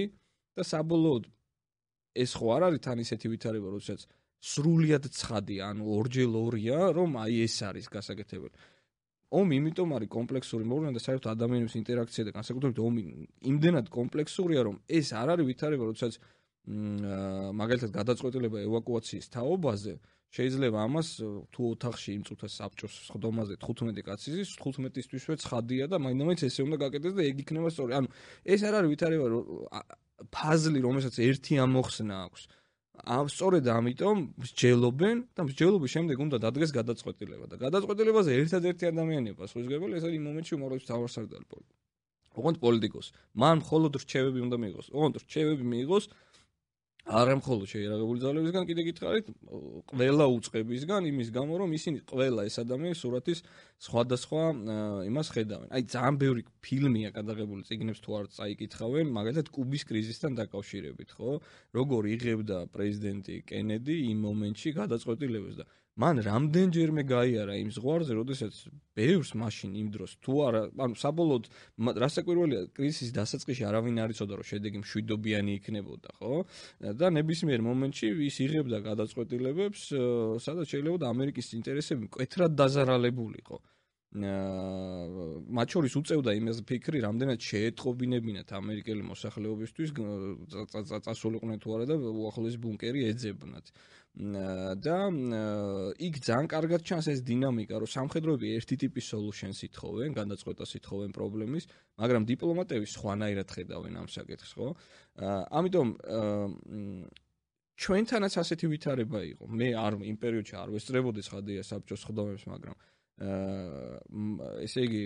და საბოლოოდ ეს ხო არ არის თან ისეთი ვითარება, როდესაც სრულიად ცხადია, ანუ ორჯერ ორია, რომ აი ეს არის გასაკეთებელი. ომი იმიტომ არის კომპლექსური მოვლენა და საერთოდ ადამიანების ინტერაქცია და განსაკუთრებით ომი იმდენად კომპლექსურია, რომ ეს არ არის ვითარება, როდესაც მაგალითად გადაწყვეტილება ევაკუაციის თაობაზე შეიძლება ამას თუ ოთახში იმ წუთას საბჭოს ხდომაზე 15 კაცი ზის, 15-ისთვისვე ცხადია და მაინც ესე უნდა გაკეთდეს და ეგ იქნება სწორი. ანუ ეს არ არის ვითარება, ფაზლი, რომელსაც ერთი ამოხსნა აქვს. სწორედ ამიტომ მსჯელობენ და მსჯელობის შემდეგ უნდა დადგეს გადაწყვეტილება და გადაწყვეტილებაზე ერთადერთი ადამიანია პასუხისმგებელი, ეს არის იმ მომენტში უმაღლესი მთავარსარდალი პოლიტიკა. ოღონდ პოლიტიკოს. მან მხოლოდ რჩევები უნდა მიიღოს. ოღონდ რჩევები მიიღოს არა მხოლოდ შეიარაღებული ძალებისგან, კიდე გითხარით, ყველა უწყებისგან, იმის გამო, რომ ისინი ყველა ეს ადამიანი სურათის სხვადასხვა იმას ხედავენ. აი, ძალიან ბევრი ფილმია გადაღებული, წიგნებს თუ არ წაიკითხავენ, მაგალითად კუბის კრიზისთან დაკავშირებით, ხო? როგორ იღებდა პრეზიდენტი კენედი იმ მომენტში გადაწყვეტილებას და მან რამდენჯერმე გაიარა იმ ზღვარზე, როდესაც ბევრს მაშინ იმ დროს თუ არა, ანუ საბოლოოდ რასაკვირველია, კრიზისის დასაწყისში არავინ არ იცოდა, რომ შედეგი მშვიდობიანი იქნებოდა, ხო? და ნებისმიერ მომენტში ის იღებდა გადაწყვეტილებებს, სადაც შეიძლება ამერიკის ინტერესები მკვეთრად დაზარალებულიყო. მათ შორის უწევდა იმას ფიქრი, რამდენად შეეტყობინებინათ ამერიკელი მოსახლეობისთვის წასულიყვნენ თუ არა და უახლოესი ბუნკერი ეძებნათ. და იქ ძალიან კარგად ჩანს ეს დინამიკა, რომ სამხედროები ერთი ტიპის solutions ითხოვენ, გადაწყვეტას ითხოვენ პრობლემის, მაგრამ დიპლომატები სხვანაირად ხედავენ ამ საკითხს, ხო? ამიტომ ჩვენთანაც ასეთი ვითარება იყო. მე იმ პერიოდში არ ვესწრებოდი ხადია საბჭოს ხდომებს, მაგრამ ესე იგი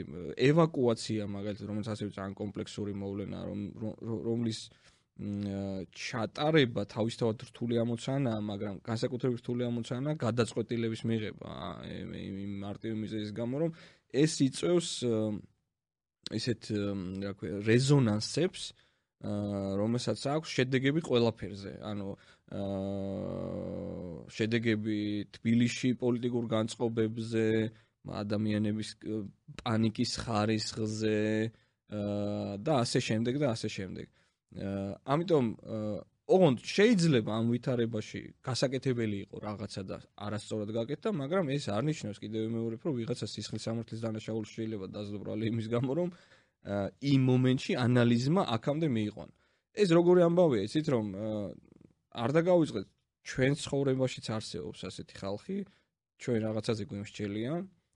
ევაკუაცია მაგალითად, რომელიც ასევე ძალიან კომპლექსური მოვლენაა, რომლის ჩატარება თავისთავად რთული ამოცანაა, მაგრამ განსაკუთრებით რთული ამოცანაა გადაწყვეტილების მიღება იმ მარტივი მიზეზის გამო, რომ ეს იწვევს ისეთ რა ქვია რეზონანსებს, რომელსაც აქვს შედეგები ყველაფერზე. ანუ შედეგები თბილისში პოლიტიკურ განწყობებზე, ადამიანების პანიკის ხარისხზე და ასე შემდეგ და ასე შემდეგ. ამიტომ ოღონდ შეიძლება ამ ვითარებაში გასაკეთებელი იყო რაღაცა და არასწორად გაკეთდა, მაგრამ ეს არ ნიშნავს კიდევ მეორე, რომ ვიღაცა სისხლის სამართლის დანაშაული შეიძლება დაძლო ბრალი იმის გამო, რომ იმ მომენტში ანალიზმა აქამდე მიიყვანა. ეს როგორი ამბავია, იცით რომ არ დაგავიწყეთ ჩვენ ცხოვრებაშიც არსებობს ასეთი ხალხი, ჩვენ რაღაცაზე გვიმსჯელია,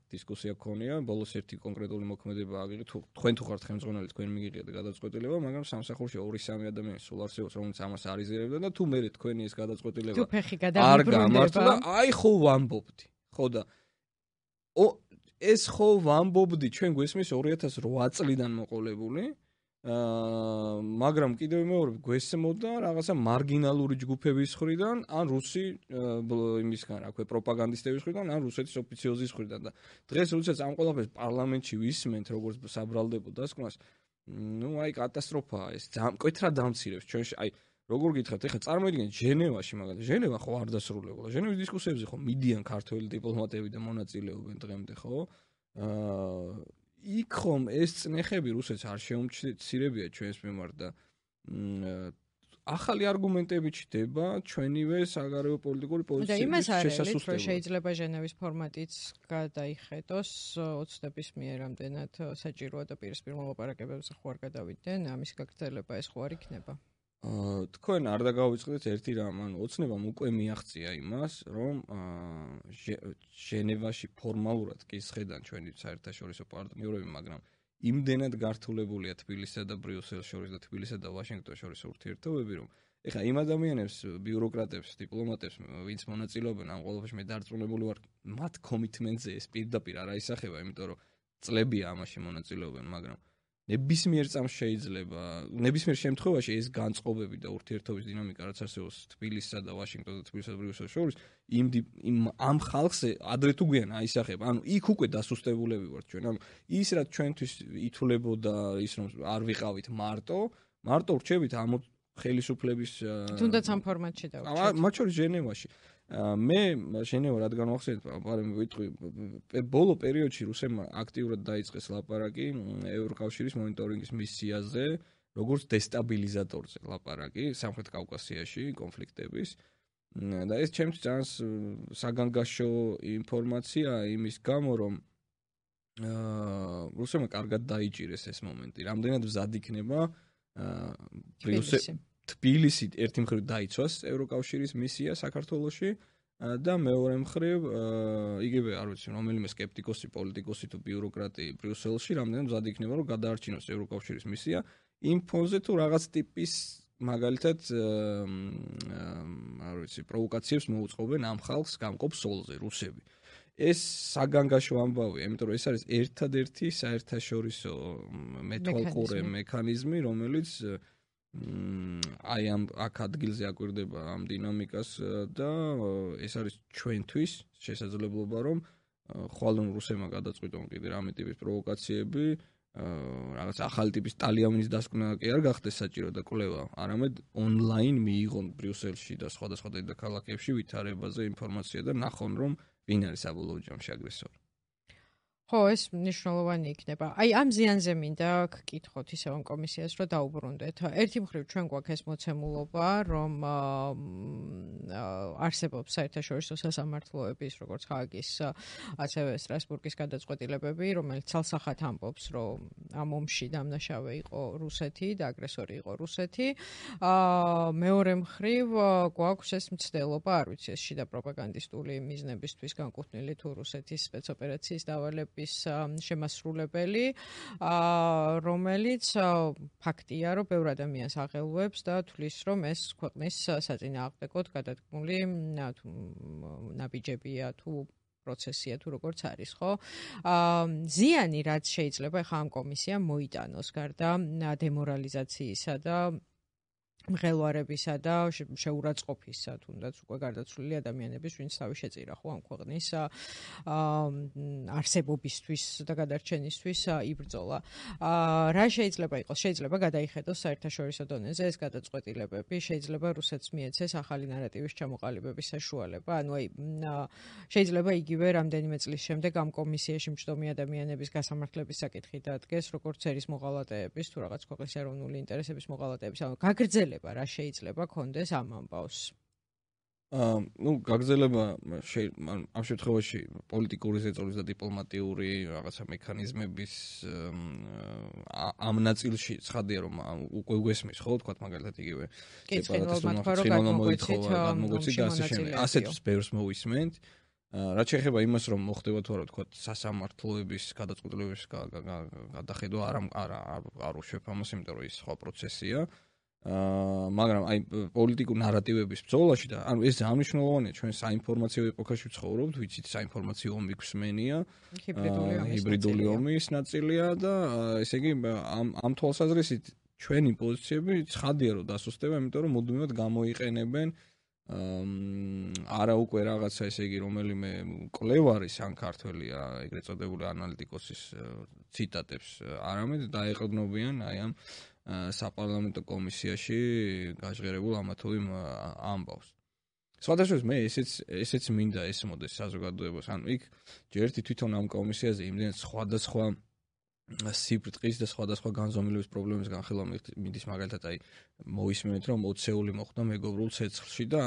დისკუსია გქონია, ბოლოს ერთი კონკრეტული მოქმედება აგიღეთ, თქვენ თუ ხართ ხელმძღვანელი, თქვენ მიიღეთ გადაწყვეტილება, მაგრამ სამსახურში 2-3 ადამიანი სულ არსებობს, რომელიც ამას არ იზიარებდა და თუ მე თქვენი ეს გადაწყვეტილება არ გამართლა, აი ხო ვამბობდი. ხო და ეს ხო ვამბობდი, ჩვენ გვესმის 2008 წლიდან მოყოლებული, მაგრამ კიდევ მეორე გვესმოდა რაღაცა მარგინალური ჯგუფების მხრიდან, ან რუსი იმისგან, რა ქვია, პროპაგანდისტების მხრიდან, ან რუსეთის ოფიციოზის მხრიდან და დღეს როდესაც ამ ყველაფერს პარლამენტში ვისმენთ, როგორც საბრალდებო დასკვნას, ნუ აი კატასტროფაა ეს, მკვეთრად დამცირებს ჩვენში, აი როგორ გითხრათ, ეხლა წარმოიდგინეთ ჟენევაში მაგალითად, ჟენევა ხო არ დასრულებულა, ჟენევის დისკუსიებზე ხო მიდიან ქართველი დიპლომატები და მონაწილეობენ დღემდე, ხო? იქ ხომ ეს წნეხები რუსეთს არ შეუმცირებია ჩვენს მიმართ და ახალი არგუმენტები ჩდება ჩვენივე საგარეო პოლიტიკური პოზიციების შესასუსტებლად. და იმას არის, რომ შეიძლება ჟენევის ფორმატიც გადაიხედოს ოცნების მიერ რამდენად საჭიროა და პირისპირ მოლაპარაკებებზე ხო არ გადავიდნენ, ამის გაგრძელება ეს ხო არ იქნება? თქვენ არ დაგავიწყდეთ ერთი რამ, ანუ ოცნებამ უკვე მიაღწია იმას, რომ ჟენევაში ფორმალურად კი სხედან ჩვენი საერთაშორისო პარტნიორები, მაგრამ იმდენად გართულებულია თბილისსა და ბრიუსელს შორის და თბილისსა და ვაშინგტონს შორის ურთიერთობები, რომ ეხლა იმ ადამიანებს, ბიუროკრატებს, დიპლომატებს, ვინც მონაწილეობენ ამ ყველაფერში, მე დარწმუნებული ვარ, მათ კომიტმენტზე ეს პირდაპირ არ აისახება, იმიტომ რომ წლებია ამაში მონაწილეობენ, მაგრამ ნებისმიერ წამს შეიძლება, ნებისმიერ შემთხვევაში ეს განწყობები და ურთიერთობის დინამიკა, რაც არსებობს თბილისსა და ვაშინგტონს და თბილისსა და ბრიუსელს შორის, ამ ხალხზე ადრე თუ გვიან აისახება. ანუ იქ უკვე დასუსტებულები ვართ ჩვენ. ანუ ის რაც ჩვენთვის ითვლებოდა ის რომ არ ვიყავით მარტო ვრჩებით ამ ხელისუფლების თუნდაც ამ ფორმატში დავჭერთ. მათ შორის ჟენევაში. მე ჟენევა რადგან ახსენეთ, ვიტყვი ბოლო პერიოდში რუსებმა აქტიურად დაიწყეს ლაპარაკი ევროკავშირის მონიტორინგის მისიაზე, როგორც დესტაბილიზატორზე ლაპარაკი სამხრეთ კავკასიაში კონფლიქტების. და ეს ჩემთვის ძალიან საგანგაშო ინფორმაცია იმის გამო, რომ რუსებმა კარგად დაიჭირეს ეს მომენტი. რამდენად მზად იქნება თბილისი ერთი მხრივ დაიცვას ევროკავშირის მისია საქართველოში და მეორე მხრივ იგივე არ ვიცი რომელიმე სკეპტიკოსი, პოლიტიკოსი თუ ბიუროკრატი ბრიუსელში რამდენად მზად იქნება რომ გადაარჩინოს ევროკავშირის მისია იმ ფონზე თუ რაღაც ტიპის მაგალითად არ ვიცი პროვოკაციებს მოუწყობენ ამ ხალხს გამყოფ სოლზე რუსები. ეს საგანგაშო ამბავია, იმიტომ რომ ეს არის ერთადერთი საერთაშორისო მეთვალყურე მექანიზმი, რომელიც აი ამ აქ ადგილზე აკვირდება ამ დინამიკას და ეს არის ჩვენთვის შესაძლებლობა, რომ ხვალ რუსებმა გადაწყვიტონ კიდე რამე ტიპის პროვოკაციები, რაღაც ახალი ტიპის ტალიანის დასკვნა კი არ გახდეს საჭირო და კვლევა, არამედ ონლაინ მიიღონ ბრიუსელში და სხვადასხვა დედაქალაქებში ვითარებაზე ინფორმაცია და ნახონ, რომ ვინ არის საბოლოო ჯამში აგრესორი. ხო, ეს მნიშვნელოვანი იქნება. აი, ამ ზიანზე მინდა გკითხოთ ისევ ამ კომისიას, რომ დაუბრუნდეთ. ერთი მხრივ ჩვენ გვაქვს ეს მოცემულობა, რომ არსებობს საერთაშორისო სასამართლოების, როგორც ჰააგის, ასევე სტრასბურგის გადაწყვეტილებები, რომელიც ცალსახად ამბობს, რომ ამ ომში დამნაშავე იყო რუსეთი და აგრესორი იყო რუსეთი. მეორე მხრივ გვაქვს ეს მცდელობა, არ ვიცი, ეს შიდა პროპაგანდისტული მიზნებისთვის განკუთვნილი თუ რუსეთის სპეცოპერაციის დავალება შემასრულებელი, რომელიც ფაქტია, რომ ბევრ ადამიანს აღელვებს და თვლის, რომ ეს ქვეყნის საწინააღმდეგოდ გადადგმული ნაბიჯებია თუ პროცესია თუ როგორც არის, ხო? ზიანი რაც შეიძლება ახლა ამ კომისიამ მოიტანოს გარდა დემორალიზაციისა და მღელვარებისა და შეურაცხყოფისა, თუნდაც უკვე გარდაცვლილი ადამიანების, ვინც თავი შეწირა ხო ამ ქვეყნის არსებობისთვის და გადარჩენისთვის იბრძოლა. რა შეიძლება იყოს? შეიძლება გადაიხედოს საერთაშორისო დონეზე ეს გადაწყვეტილებები, შეიძლება რუსეთს მიეცეს ახალი ნარატივის ჩამოყალიბების საშუალება. ანუ აი შეიძლება იგივე რამდენიმე წლის შემდეგ ამ კომისიაში მჯდომი ადამიანების გასამართლების საკითხი დადგეს, როგორც ერის მოღალატეების თუ რაღაც ქვეყნის ეროვნული ინტერესების მოღალატეების. ანუ გაგრძელება რა შეიძლება კონდეს ამ ამბავს? გაგრძელება ამ შემთხვევაში პოლიტიკური ზეწოლის და დიპლომატიური რაღაცა მექანიზმების ამ ნაწილში ცხადია რომ უკვე უგესმის ხო თქვა მაგალითად იგივე სეპარატისტულმა მოითხოვა გადმოგვეცი და ასე შემდეგ. ასეთს ბევრს მოვისმენთ. რაც შეეხება იმას რომ მოხდება თუ არა თქვა სასამართლოების გადაწყვეტილებების გადახედვა არ უშვებ ამას, იმიტომ რომ ის სხვა პროცესია. მაგრამ აი პოლიტიკურ ნარატივების ბრძოლაში და ანუ ეს ძალიან მნიშვნელოვანია ჩვენ საინფორმაციო ეპოქაში ვცხოვრობთ, ვიცით საინფორმაციო ომი გვსმენია, ჰიბრიდული ომის ნაწილია და ესე იგი ამ თვალსაზრისით ჩვენი პოზიციები ცხადია რომ დასუსტება, იმიტომ რომ მუდმივად გამოიყენებენ არა უკვე რაღაცა ესე იგი რომელიმე კვლევარის ან ქართველია ეგრეთ წოდებული ანალიტიკოსის ციტატებს, არამედ დაეყრდნობიან აი ამ საპარლამენტო კომისიაში გაჟღერებულ ამა თუ იმ ამბავს. სხვადასხვა მე ესეც მინდა ესმოდეს საზოგადოებას. ანუ იქ ჯერ ერთი თვითონ ამ კომისიაზე იმდენ სხვადასხვა სიბრტყის და სხვადასხვა განზომილების პრობლემის განხილვა მიდის, მაგალითად აი მოვისმენთ რომ 20-ეული მოხდა მეგობრულ ცეცხლში და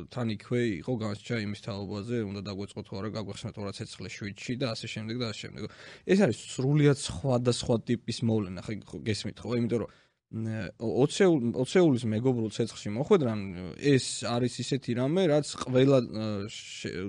თან იქვე იყო განსჯა იმის თაობაზე, უნდა დაგვეწყოთ თუ არა გაგვეხსნათ რა ცეცხლე შვიდში და ასე შემდეგ და ასე შემდეგ. ეს არის სრულიად სხვადასხვა ტიპის მოვლენა, ხო გესმით ხო? იმიტომ რომ 20-ეულის მეგობრულ ცეცხლში მოხვედრან ეს არის ისეთი რამე, რაც ყველა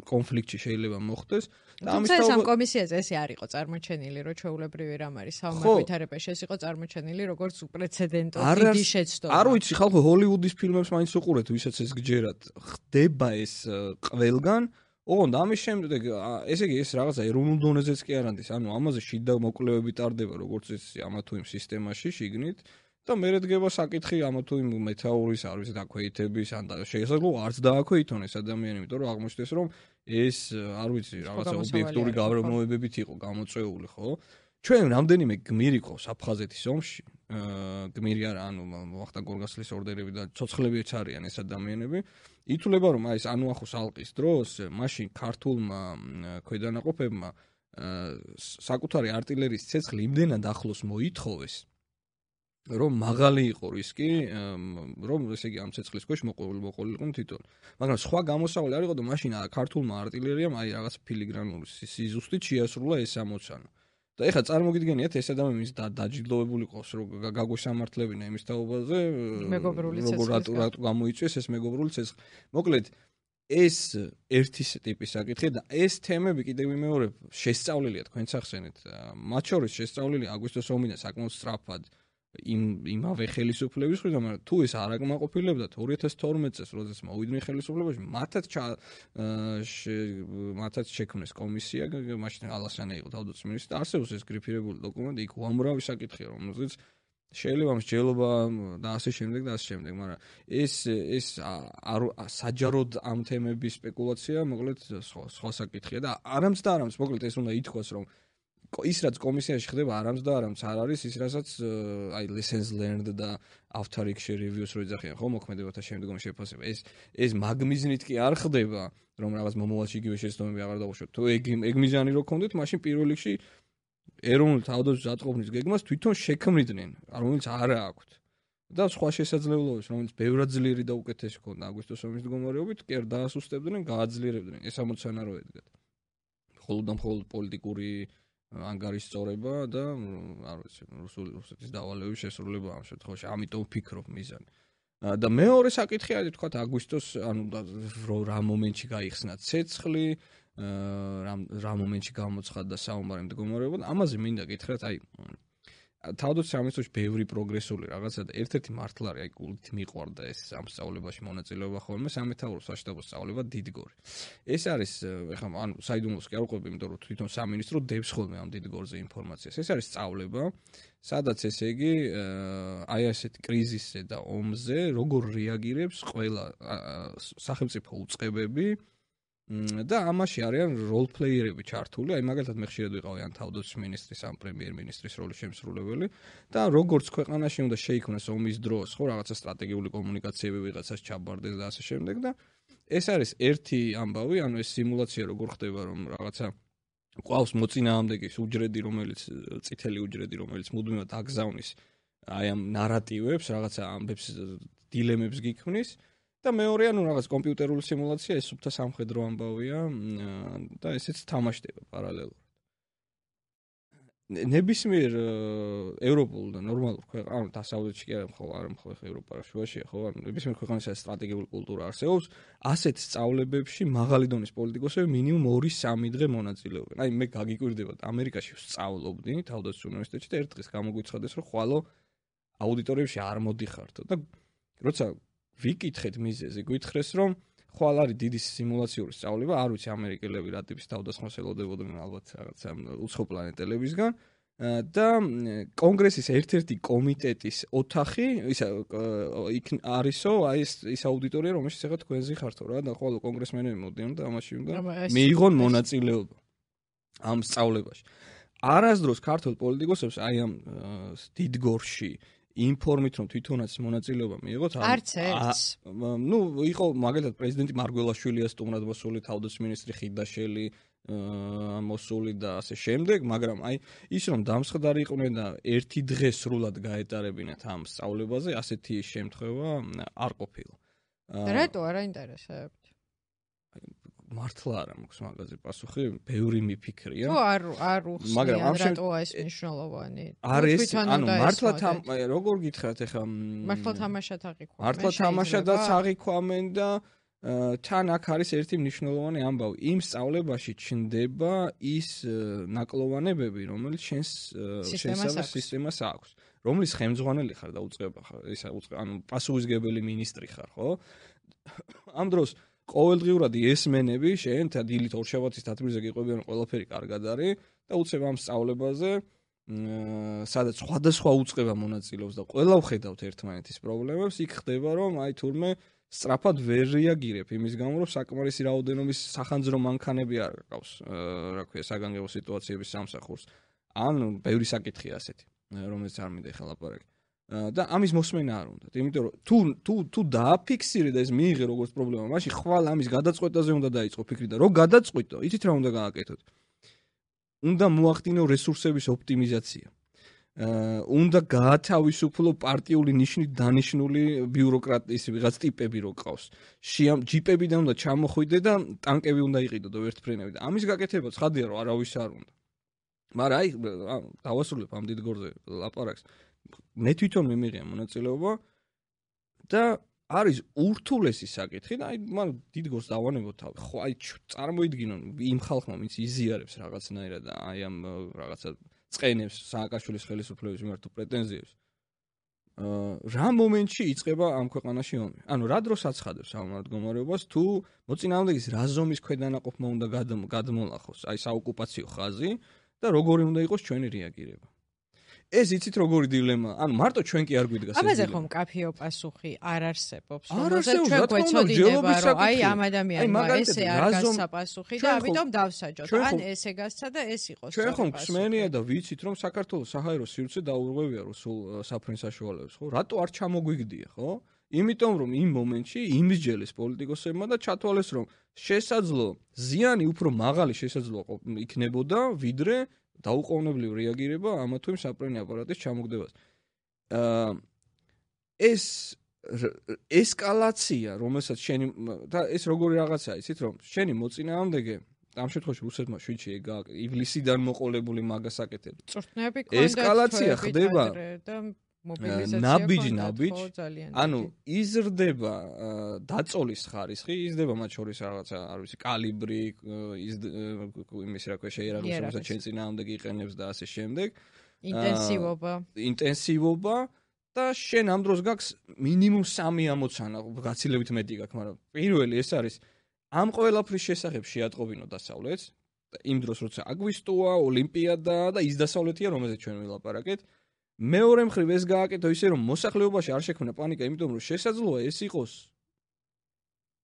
კონფლიქტში შეიძლება მოხდეს. თუმცა ეს ამ კომისიაზე ესე არ იყო წარმოჩენილი, რომ ჩვეულებრივი რამ არის საომარ-ვითარებაში, ეს იყო წარმოჩენილი როგორც უპრეცედენტო დიდი შეცდომა. არ ვიცი, ხალხო ჰოლივუდის ფილმებს მაინც უყურეთ, ვისაც ეს გჯერათ. ხდება ეს ყველგან. ოღონდ ამის შემდეგ, ესე იგი ეს რაღაცა ეროვნულ დონეზეც კი არ არის, ანუ ამაზე შიდა მოკვლევები ტარდება, როგორც ეს ამა თუ იმ სისტემაში შიგნით. და მე რადგება საკითხი ამა თუ იმ მეთაურის არ ვიცი დაქვეითების ან შესაძლოა არც დააქვეითონ ეს ადამიანი, იმიტომ რომ აღმოჩნდეს რომ ეს არ ვიცი რაღაცა ობიექტური გავრცელებებით იყო გამოწვეული, ხო? ჩვენ რამდენიმე გმირი ყავს აფხაზეთის ომში, გმირი არა, ანუ ვახტანგ გორგასლის ორდერები და ცოცხლებიც არიან ეს ადამიანები. ითვლება რომ აი ეს ანუახოს ალყის დროს მაშინ ქართულმა ქვედანაყოფებმა საკუთარი არტილერიის ცეცხლი იმდენად ახლოს მოითხოვეს რომ მაღალი იყო რისკი, რომ ესე იგი ამ ცეცხლის ქვეშ მოყოლიყვნენ თვითონ. მაგრამ სხვა გამოსავალი არ იყო და მაშინ ქართულმა არტილერიამ აი რაღაც ფილიგრანული სიზუსტით შეასრულა ეს ამოცანა. და ეხლა წარმოგიდგენიათ ეს ადამიანი დაჯილდოვებული ყავს, რომ გაგვესამართლებინა იმის თაობაზე, როგორ რატო გამოიწვიეს ეს მეგობრული ცეცხლი. მოკლედ ეს ერთი ტიპის საკითხია და ეს თემები კიდევ მეორე შესწავლილია თქვენც ახსენეთ. მათ შორის შესწავლილი აგვისტოს ომიდან საკმაოდ სწრაფად იმავე ხელისუფლების მხრიდან, მაგრამ თუ ეს არ აკმაყოფილებდათ 2012 წელს, როდესაც მოვიდნენ ხელისუფლებაში, მათაც შექმნეს კომისია, მაშინ ალასანი იყო თავდაცვის მინისტრი, არსებობს ეს გრიფირებული დოკუმენტი, იქ უამრავი საკითხია, რომელზეც შეიძლება მსჯელობა და ასე შემდეგ, მაგრამ ეს საჯაროდ ამ თემების სპეკულაცია, მოკლედ სხვა საკითხია და არამც, მოკლედ ეს უნდა ითქვას, რომ ის რაც კომისიაში ხდება არამც არ არის ის რასაც აი lessons learned და after action reviews რო იძახიან ხო მოქმედებათა შემდგომ შეფასება ეს მაგმიზნით კი არ ხდება რომ რაღაც მომავალში იგივე შეცდომები აღარ დავუშვათ თუ ეგ მიზანი რო გქონდეთ მაშინ პირველ რიგში ეროვნული თავდაცვის ატყობნის გეგმას თვითონ შექმნიდნენ რომელიც არა აქვთ და სხვა შესაძლებლობებს რომელიც ბევრად ძლიერი და უკეთესი ქონდა აგვისტოს ომის მდგომარეობით კი არ დაასუსტებდნენ გააძლიერებდნენ ეს ამოცანა რო ედგათ მხოლოდ პოლიტიკური ანგარის სწორება და არ ვიცი რუსეთის დავალების შესრულება ამ შემთხვევაში ამიტომ ვფიქრობ მიზანი და მეორე საკითხი არის თქვა აგვისტოს ანუ რა მომენტში გაიხსნა ცეცხლი რა მომენტში გამოცხადდა საომარი მდგომარეობა ამაზე მინდა გითხრათ აი თავდაცვის სამინისტროში ბევრი პროგრესული რაღაცა და ერთ-ერთი მართლარი აი გულით მიყვარდა ეს ამ სწავლებაში მონაწილეობა ხოლმე სამეთაურო საშტაბო სწავლება დიდგორი. ეს არის ეხლა ანუ საიდუმლოს კი არ ვყვები, იმიტომ რომ თვითონ სამინისტრო დებს ხოლმე ამ დიდგორზე ინფორმაციას. ეს არის სწავლება, სადაც ესე იგი აი ასეთ კრიზისზე და ომზე როგორ რეაგირებს ყველა სახელმწიფო უწყებები და ამაში არიან როლ პლეიერები ჩართული, აი მაგალითად მე ხშირად ვიყავი ან თავდაცვის მინისტრის, ან პრემიერ-მინისტრის როლის შემსრულებელი და როგორც ქვეყანაში უნდა შეიქმნას ომის დროს, ხო, რაღაცა სტრატეგიული კომუნიკაციები ვიღაცას ჩაბარდეს და ასე შემდეგ და ეს არის ერთი ამბავი, ანუ ეს სიმულაცია როგორ ხდება, რომ რაღაცა ყავს მოწინააღმდეგის უჯრედი, რომელიც წითელი უჯრედი, რომელიც მუდმივად აგზავნის აი ამ ნარატივებს, რაღაცა ამბებს, დილემებს გიქმნის და მეორე ანუ რაღაც კომპიუტერული სიმულაცია ეს სუფთა სამხედრო ამბავია და ესეც თამაშდება პარალელურად. ნებისმიერ ევროპულ და ნორმალურ ქვეყანაში, ანუ დასავლეთში კი არა მხოლოდ ევროპაშია, ხო, ანუ ნებისმიერ ქვეყანაში სტრატეგიული კულტურა არსებობს, ასეთ სწავლებებში მაღალი დონის პოლიტიკოსები მინიმუმ 2-3 დღე მონაწილეობენ. აი მე გაგიკვირდებათ ამერიკაში ვსწავლობდი თავდაცვის უნივერსიტეტში და ერთ დღეს გამოგვიცხადეს, რომ ხვალო აუდიტორიებში არ მოდიხართო და როცა ვიკითხეთ მიზეზი, გითხრეს რომ ხვალ არის დიდი სიმულაციური სწავლება, არ ვიცი ამერიკელები რა ტიპის თავდასხმას ელოდებოდნენ ალბათ რაღაცა უცხო პლანეტელებისგან და კონგრესის ერთ-ერთი კომიტეტის ოთახი იქ არისო, აი ეს აუდიტორია რომელშიც ახლა თქვენზე ხართო რა და ხვალ კონგრესმენები მოდიან და ამაში უნდა მიიღონ მონაწილეობა ამ სწავლებაში. არასდროს ქართულ პოლიტიკოსებს აი ამ დიდგორში ინფორმით რომ თვითონაც მონაწილეობა მიიღოთ არც ერთს ნუ იყო მაგალითად პრეზიდენტი მარგველაშვილია სტუმრად მოსული თავდაცვის მინისტრი ხიდაშელი მოსული და ასე შემდეგ მაგრამ აი ის რომ დამსხდარი იყვნენ და ერთი დღე სრულად გაეტარებინათ ამ სწავლებაზე ასეთი შემთხვევა არ ყოფილა რატო არ აინტერესებთ მართლა არა მაქვს მაგაზე პასუხი, ბევრი მიფიქრია. თუ არ უხსნიან რატოა ეს მნიშვნელოვანი. არის, ანუ მართლა როგორ გითხრათ ახლა მართლა თამაშად აღიქვამენ. მართლა თამაშადაც აღიქვამენ და თან აქ არის ერთი მნიშვნელოვანი ამბავი. იმ სწავლებაში ჩნდება ის ნაკლოვანებები, რომელიც შენს სისტემას აქვს. რომლის ხელმძღვანელი ხარ და უწყება ხარ, ანუ პასუხისმგებელი მინისტრი ხარ, ხო? ამ დროს ყოველდღიურად ესმენები შენ დილით ორშაბათის თათბირზე გიყვებიან ყველაფერი კარგად არის და უცებ ამ სწავლებაზე სადაც სხვადასხვა უწყება მონაწილეობს და ყველა ვხედავთ ერთმანეთის პრობლემებს იქ ხდება რომ აი თურმე სწრაფად ვერ რეაგირებ იმის გამო რომ საკმარისი რაოდენობის სახანძრო მანქანები არ ყავს რა ქვია საგანგებო სიტუაციების სამსახურს ან ბევრი საკითხია ასეთი რომელიც არ მინდა ახლა ლაპარაკი და ამის მოსმენა არ უნდათ. იმიტომ რომ თუ დააფიქსირე და ეს მიიღე როგორც პრობლემა, მაშინ ხვალ ამის გადაწყვეტაზე უნდა დაიწყო ფიქრი და რო გადაწყვიტო, იცით რა უნდა გააკეთოთ? უნდა მოახდინო რესურსების ოპტიმიზაცია. უნდა გაათავისუფლო პარტიული ნიშნით დანიშნული ბიუროკრატიის ვიღაც ტიპები რო ყავს. ჯიპებიდან უნდა ჩამოხვიდე და ტანკები უნდა იყიდო ერთფრენები და ამის გაკეთება ცხადია რომ არავის არ უნდა. მაგრამ აი დავასრულებ ამ დიდგორზე ლაპარაკს. მე თვითონ მიმიღია მონაწილეობა და არის ურთულესი საკითხი და აი მან დიდგორს დავანებოთ თავი. ხო აი წარმოიდგინონ იმ ხალხმა ვინც იზიარებს რაღაცნაირად და აი ამ რაღაცა წენებს სააკაშვილის ხელისუფლების მიმართ პრეტენზიებს. რა მომენტში იწყება ამ ქვეყანაში ომი? ანუ რა დროს აცხადებს ამ მდგომარეობას თუ მოწინააღმდეგის რა ზომის ქვედანაყოფმა უნდა გადმოლახოს აი საოკუპაციო ხაზი და როგორი უნდა იყოს ჩვენი რეაგირება? ეს იცით როგორი დილემა? ანუ მარტო ჩვენ კი არ გვიდგას ეს დილემა. აბაზე ხომ კაფეო პასუხი არ არსებობს, რომელზეც ჩვენ გვეცოდინება, რომ აი ამ ადამიანმა ესე არ გასცა პასუხი და ამიტომ დავსაჯოთ. ან ესე გასცა და ეს იყოს. ჩვენ ხომ ხსმენია და ვიცით, რომ საქართველოს საჰაერო სივრცე დაურღვევია რუსულ საფრენ საშუალებას, ხო? რატო არ ჩამოგვიგდია, ხო? იმიტომ რომ იმ მომენტში იმსჯელეს პოლიტიკოსებმა და ჩათვალეს, რომ შესაძლო ზიანი უფრო მაღალი შესაძლო იქნებოდა, ვიდრე დაუყოვნებლივ რეაგირება ამა თუ იმ საფრენი აპარატის ჩამოგდებას. ეს ესკალაცია, რომელსაც შენი და ეს როგორი რაღაცაა, იცით რომ შენი მოწინააღმდეგე ამ შემთხვევაში რუსეთმა შვიდში ივლისიდან მოყოლებული მაგას აკეთებს. წვრთნები ქონდათ ესკალაცია ხდება და მობილიზაცია ნაბიჯ, ანუ იზრდება დაწოლის ხარისხი, იზრდება მათ შორის რაღაცა, არ ვიცი, კალიბრი, იმის რა ქვია შეიარაღებს, რომელსაც შენ წინააღმდეგი იყენებს და ასე შემდეგ. ინტენსივობა და შენ ამ დროს გაქვს მინიმუმ 3 ამოცანა, გაცილებით მეტი გაქვს, მაგრამ პირველი ეს არის ამ ყველაფრის შესახებ შეატყობინო დასავლეთს, იმ დროს როცა აგვისტოა, ოლიმპიადა და ის დასავლეთია, რომელზეც ჩვენ ვილაპარაკეთ. მეორე მხრივ ეს გააკეთო ისე რომ მოსახლეობაში არ შექმნა პანიკა, იმიტომ რომ შესაძლოა ეს იყოს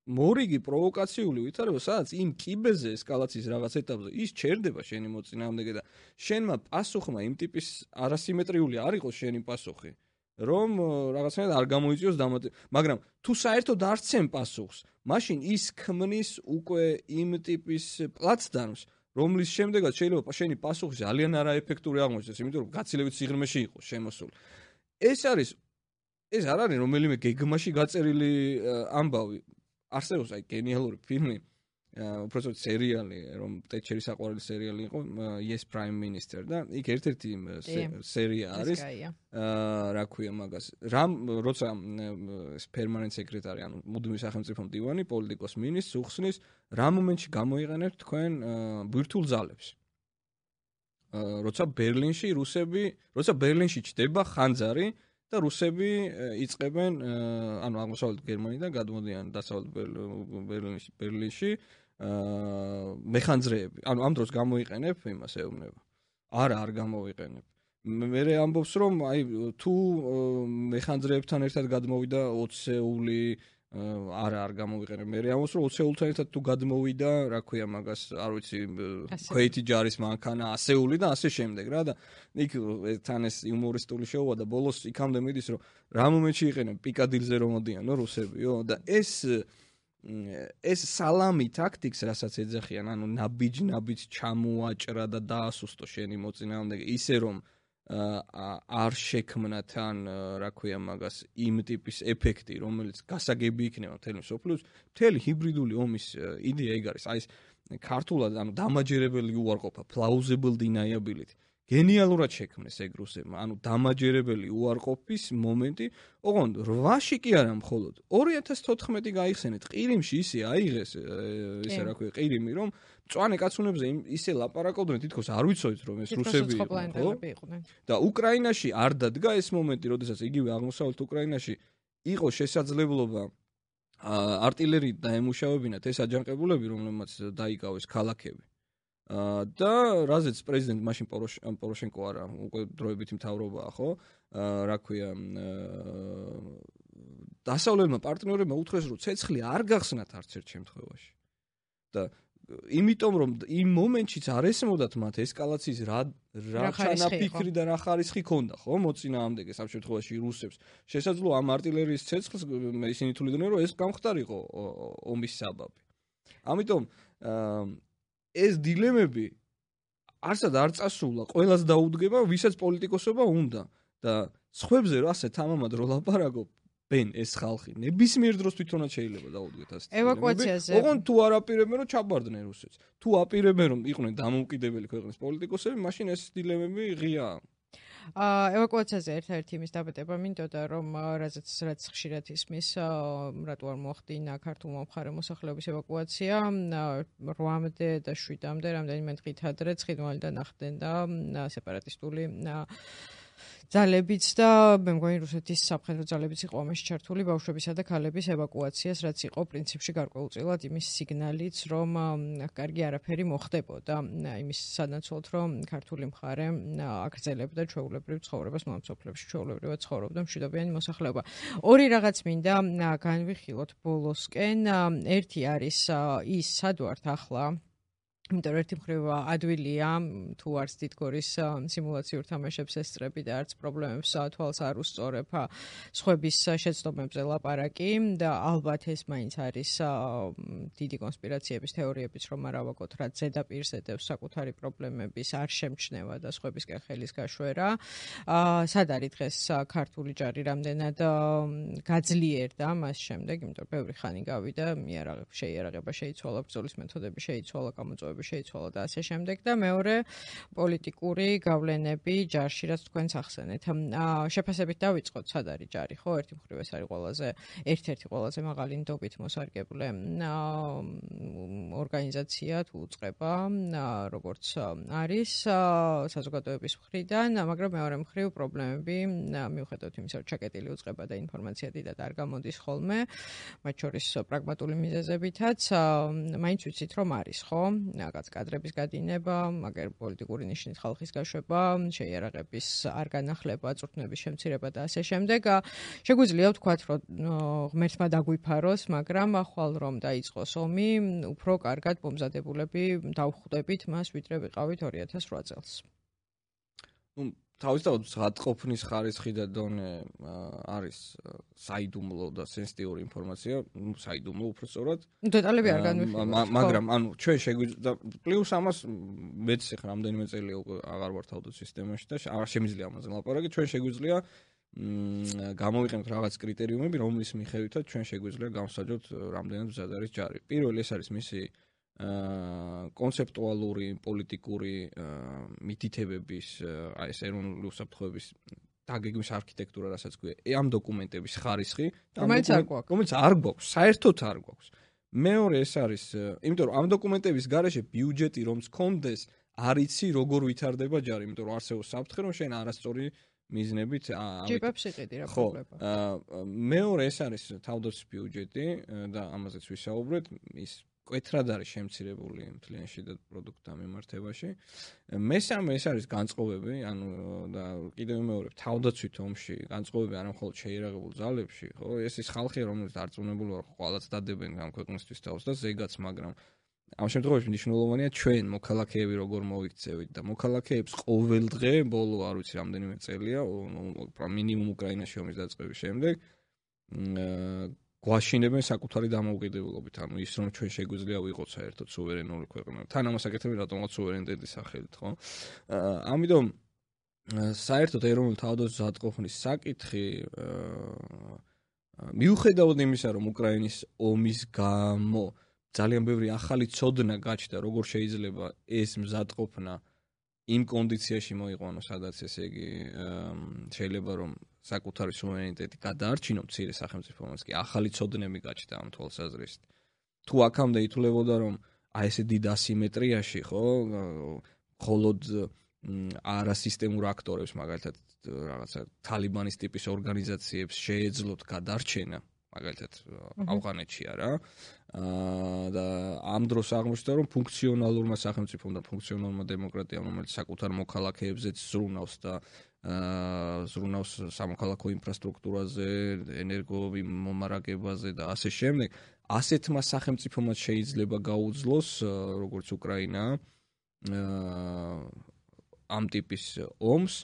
მორიგი პროვოკაციული ვითარება, სადაც იმ კიბეზე ესკალაციის რაღაც ეტაპზე ის ჩერდება შენი მოწინააღმდეგე და შენმა პასუხმა იმ ტიპის არასიმეტრიული არ იყოს შენი პასუხი, რომ რაღაცნაირად არ გამოიწვიოს მაგრამ თუ საერთოდ არ ცემ პასუხს, მაშინ ის ქმნის უკვე იმ ტიპის პლაცდარმს, რომლის შემდეგაც შეიძლება შენი პასუხი ძალიან არაეფექტური აღმოჩნდეს, იმიტომ რომ გაცილებით სიღრმეში იყოს შემოსული. ეს არ არის რომელიმე გეგმაში გაწერილი ამბავი. არსებობს აი გენიალური ფილმი, უბრალოდ სერიალი, რომ ტეჩერის საყვარელი სერიალი იყო Yes Prime Minister და იქ ერთ-ერთი სერია არის. რა ქვია მაგას? როცა პერმანენტ სეკრეტარი, ანუ მუდმივი სახელმწიფო მდივანი, პოლიტიკოს მინისტრს უხსნის, რა მომენტში გამოიყენებთ თქვენ ბირთვულ ძალებს? როცა ბერლინში ჩდება ხანძარი და რუსები იწყებენ, ანუ აღმოსავლეთ გერმანიიდან გადმოდიან დასავლეთ ბერლინში მეხანძრეები. ანუ ამ დროს გამოიყენებ იმას ეუბნება. არ გამოვიყენებ. მე ამბობს რომ აი თუ მეხანძრეებთან ერთად გადმოვიდა 20-ეული არ გამოვიყენებ. მე ამბობს რომ 20-ეულთან ერთად თუ გადმოვიდა, რა ქვია მაგას, არ ვიცი, ქვეითი ჯარის მანქანა, 100-ეული და ასე შემდეგ რა და იქ თან ეს იუმორისტული შოუა და ბოლოს იქამდე მიდის რომ რა მომენტში იყენებ პიკადილზე რომ მოდიანო რუსებიო და ეს სალამი ტაქტიკს რასაც ეძახიან, ანუ ნაბიჯ ჩამოაჭრა და დაასუსტო შენი მოწინააღმდეგე, ისე რომ არ შექმნა თან, რა ქვია მაგას, იმ ტიპის ეფექტი, რომელიც გასაგები იქნება მთელი მსოფლიოს, მთელი ჰიბრიდული ომის იდეა ეგ არის. აი ეს ქართულად, ანუ დამაჯერებელი უარყოფა, plausible deniability. გენიალურად შექმნეს ეგ რუსებმა, ანუ დამაჯერებელი უარყოფის მომენტი, ოღონდ 8-ში კი არა მხოლოდ 2014 გაიხსენეთ ყირიმში ისე აიღეს ისე რა ქვია ყირიმი, რომ მწვანე კაცუნებზე ისე ლაპარაკობდნენ, თითქოს არ ვიცოდით რომ ეს რუსები იყვნენ. და უკრაინაში არ დადგა ეს მომენტი, როდესაც იგივე აღმოსავლეთ უკრაინაში იყო შესაძლებლობა артиლერიით დაემუშავებინათ ეს აჯანყებულები, რომლებმაც დაიკავეს ქალაქები. და რაზეც პრეზიდენტ მაშინ პოროშენკო არა, უკვე დროებითი მთავრობაა, ხო? რა ქვია, დასავლეთმა პარტნიორებმა უთხრეს, რომ ცეცხლი არ გახსნათ არც ერთ შემთხვევაში. და იმიტომ რომ იმ მომენტშიც არ ესმოდათ მათ ესკალაციის რა ჩანაფიქრი და რა ხარისხი ქონდა, ხო? მოწინააღმდეგეს ამ შემთხვევაში რუსებს. შესაძლოა ამ артиლერიის ცეცხლს ისინი თვლიდნენ, რომ ეს გამხდარიყო ომის საბაბი. ამიტომ ეს დილემები არსად არ წასულა, ყველას დაუდგება, ვისაც პოლიტიკოსობა უნდა და სხვებზე ასე თამამად რო ლაპარაკობ, ბენ ეს ხალხი ნებისმიერ დროს თვითონაც შეიძლება დაუდგეთ ასე. ევაკუაციაზე. ოღონდ თუ არ აპირებენ რომ ჩაბარდნენ რუსეთს. თუ აპირებენ რომ იყვნენ დამოუკიდებელი ქვეყნის პოლიტიკოსები, მაშინ ეს დილემები ღიაა. ევაკუაციაზე ერთ-ერთი იმის დაბედება მინდოდა, რომ რაც ხშირად ისმის, რატო არ მოახდინა ქართულმა მხარე მოსახლეობის ევაკუაცია 8-მდე და 7-მდე, რამდენიმე დღით ადრე ცხინვალიდან ახდენდა სეპარატისტული ძალებიც და მე მგონი რუსეთის სამხედრო ძალებიც იყო ამაში ჩართული ბავშვებისა და ქალების ევაკუაციას, რაც იყო პრინციპში გარკვეულწილად იმის სიგნალიც, რომ კარგი არაფერი მოხდებოდა იმის სანაცვლოდ, რომ ქართული მხარე აგრძელებდა ჩვეულებრივ ცხოვრებას მომსოფლებში, ჩვეულებრივად ცხოვრობდა მშვიდობიანი მოსახლეობა. ორი რაღაც მინდა განვიხილოთ ბოლოსკენ. ერთი არის ის სად ვართ ახლა იმიტომ რომ ერთი მხრივ ადვილია თუ არც თითქოს სიმულაციურ თამაშებს ესწრები და არც პრობლემებს თვალს არ უსწორებ სხვების შეცდომებზე ლაპარაკი და ალბათ ეს მაინც არის დიდი კონსპირაციების თეორიებიც რომ არ ავაგოთ რაც ზედაპირს ედევს საკუთარი პრობლემების არ შემჩნევა და სხვებისკენ ხელის გაშვერა სად არის დღეს ქართული ჯარი რამდენად გაძლიერდა მას შემდეგ იმიტომ რომ ბევრი ხანი გავიდა შეიარაღება შეიცვალა ბრძოლის მეთოდები შეიცვალა გამოწვევები შეიცვალა და ასე შემდეგ და მეორე პოლიტიკური გავლენები ჯარში რაც თქვენს ახსენეთ. შეფასებით დავიწყოთ სად არის ჯარი, ხო? ერთი მხრივ ეს არის ერთ-ერთი ყველაზე მაღალი ნდობით მოსარგებლე ორგანიზაცია თუ უწყება, როგორც არის საზოგადოების მხრიდან, მაგრამ მეორე მხრივ პრობლემები მიუხედავად იმისა, რომ ჩაკეტილი უწყება და ინფორმაცია დიდად არ გამოდის ხოლმე, მათ შორის პრაგმატული მიზეზებითაც, მაინც ვიცით რომ არის, ხო? რაღაც კადრების გადინება, მაგერ პოლიტიკური ნიშნით ხალხის გაშვება, შეიარაღების არ განახლება, წვრთნების შემცირება და ასე შემდეგ. შეგვიძლია ვთქვათ, რომ ღმერთმა დაგვიფაროს, მაგრამ ხვალ რომ დაიწყოს ომი, უფრო კარგად მომზადებულები დავხვდებით მას, ვიდრე ვიყავით 2008 წელს. თავისთავად ზღაპყოფნის ხარისხი და დონე არის საიდუმლო და სენსიტიური ინფორმაცია, საიდუმლო უფრო სწორად. დეტალები არ განვიხილოთ. მაგრამ ანუ ჩვენ შეგვიძლია პლუს ამას მეც ხა რამდენიმე წელი აღარ ვარ თავდაცვის სისტემაში და არ შემიძლია ამაზე ლაპარაკი, ჩვენ შეგვიძლია გამოვიყენოთ რაღაც კრიტერიუმები, რომლის მიხედვითაც ჩვენ შეგვიძლია გავსაჯოთ რამდენად მზად არის ჯარი. პირველი ეს არის მისი კონცეპტუალური პოლიტიკური მითითებების აი ეს ეროვნული უსაფრთხოების დაგეგმვის არქიტექტურა რასაც ქვია ამ დოკუმენტების ხარისხი რომელიც არ გვაქვს საერთოდ არ გვაქვს მეორე ეს არის იმიტომ რომ ამ დოკუმენტების გარეშე ბიუჯეტი რომც კონდეს არ იცი როგორ ვითარდება ჯარი იმიტომ რომ არსებობს საფრთხე რომ შენ არასწორი მიზნებით ჯიპებს იყიდი რა პრობლემა მეორე ეს არის თავდაცვის ბიუჯეტი და ამაზეც ვისაუბრეთ ის კვეთრად არის შემცირებული მთლიან შიდა პროდუქტთა მიმართებაში. მესამე ეს არის განწყობები, ანუ და კიდევ მეორე თავდაცვით ომში განწყობები არა მხოლოდ შეიარაღებულ ძალებში, ხო? ეს ის ხალხი, რომელიც დარწმუნებული ვარ, ყველაც დადებენ ამ ქვეყნისთვის თავს და ზეგაც, მაგრამ ამ შემთხვევაში მნიშვნელოვანია ჩვენ მოქალაქეები როგორ მოიქცევით და მოქალაქეებს ყოველდღე ბოლო არ ვიცი რამდენიმე წელია, მინიმუმ უკრაინაში ომის დაწყების შემდეგ გვაშინებენ საკუთარი დამოუკიდებლობით, ანუ ის რომ ჩვენ შეგვიძლია ვიყოთ საერთოდ სუვერენული ქვეყანა. თან ამას აკეთებენ რატომღაც სუვერენიტეტის სახელით, ხო? ამიტომ საერთოდ ეროვნული თავდაცვის ზღაპყოფნის საკითხი მიუხედავად იმისა, რომ უკრაინის ომის გამო ძალიან ბევრი ახალი ცოდნა გაჩნდა, როგორ შეიძლება ეს მზადყოფნა იმ კონდიციაში მოიყვანოს, სადაც ესე იგი შეიძლება რომ საკუთარი სუვერენიტეტი გადაარჩინო მცირე სახელმწიფოებს კი ახალი ცოდნები გაჩნდა ამ თვალსაზრისით. თუ აქამდე ითვლებოდა რომ აი ესე დიდ ასიმეტრიაში, ხო, მხოლოდ არასისტემურ აქტორებს, მაგალითად რაღაცა თალიბანის ტიპის ორგანიზაციებს შეეძლოთ გადარჩენა, მაგალითად ავღანეთში არა. და ამ დროს აღმოჩნდა რომ ფუნქციონალურმა სახელმწიფომ და ფუნქციონალურმა დემოკრატიამ, რომელიც საკუთარ მოქალაქეებზეც ზრუნავს და ზრუნავს სამოქალაქო ინფრასტრუქტურაზე, ენერგომომარაგებაზე და ასე შემდეგ, ასეთმა სახელმწიფომაც შეიძლება გაუძლოს, როგორც უკრაინა, ამ ტიპის ომს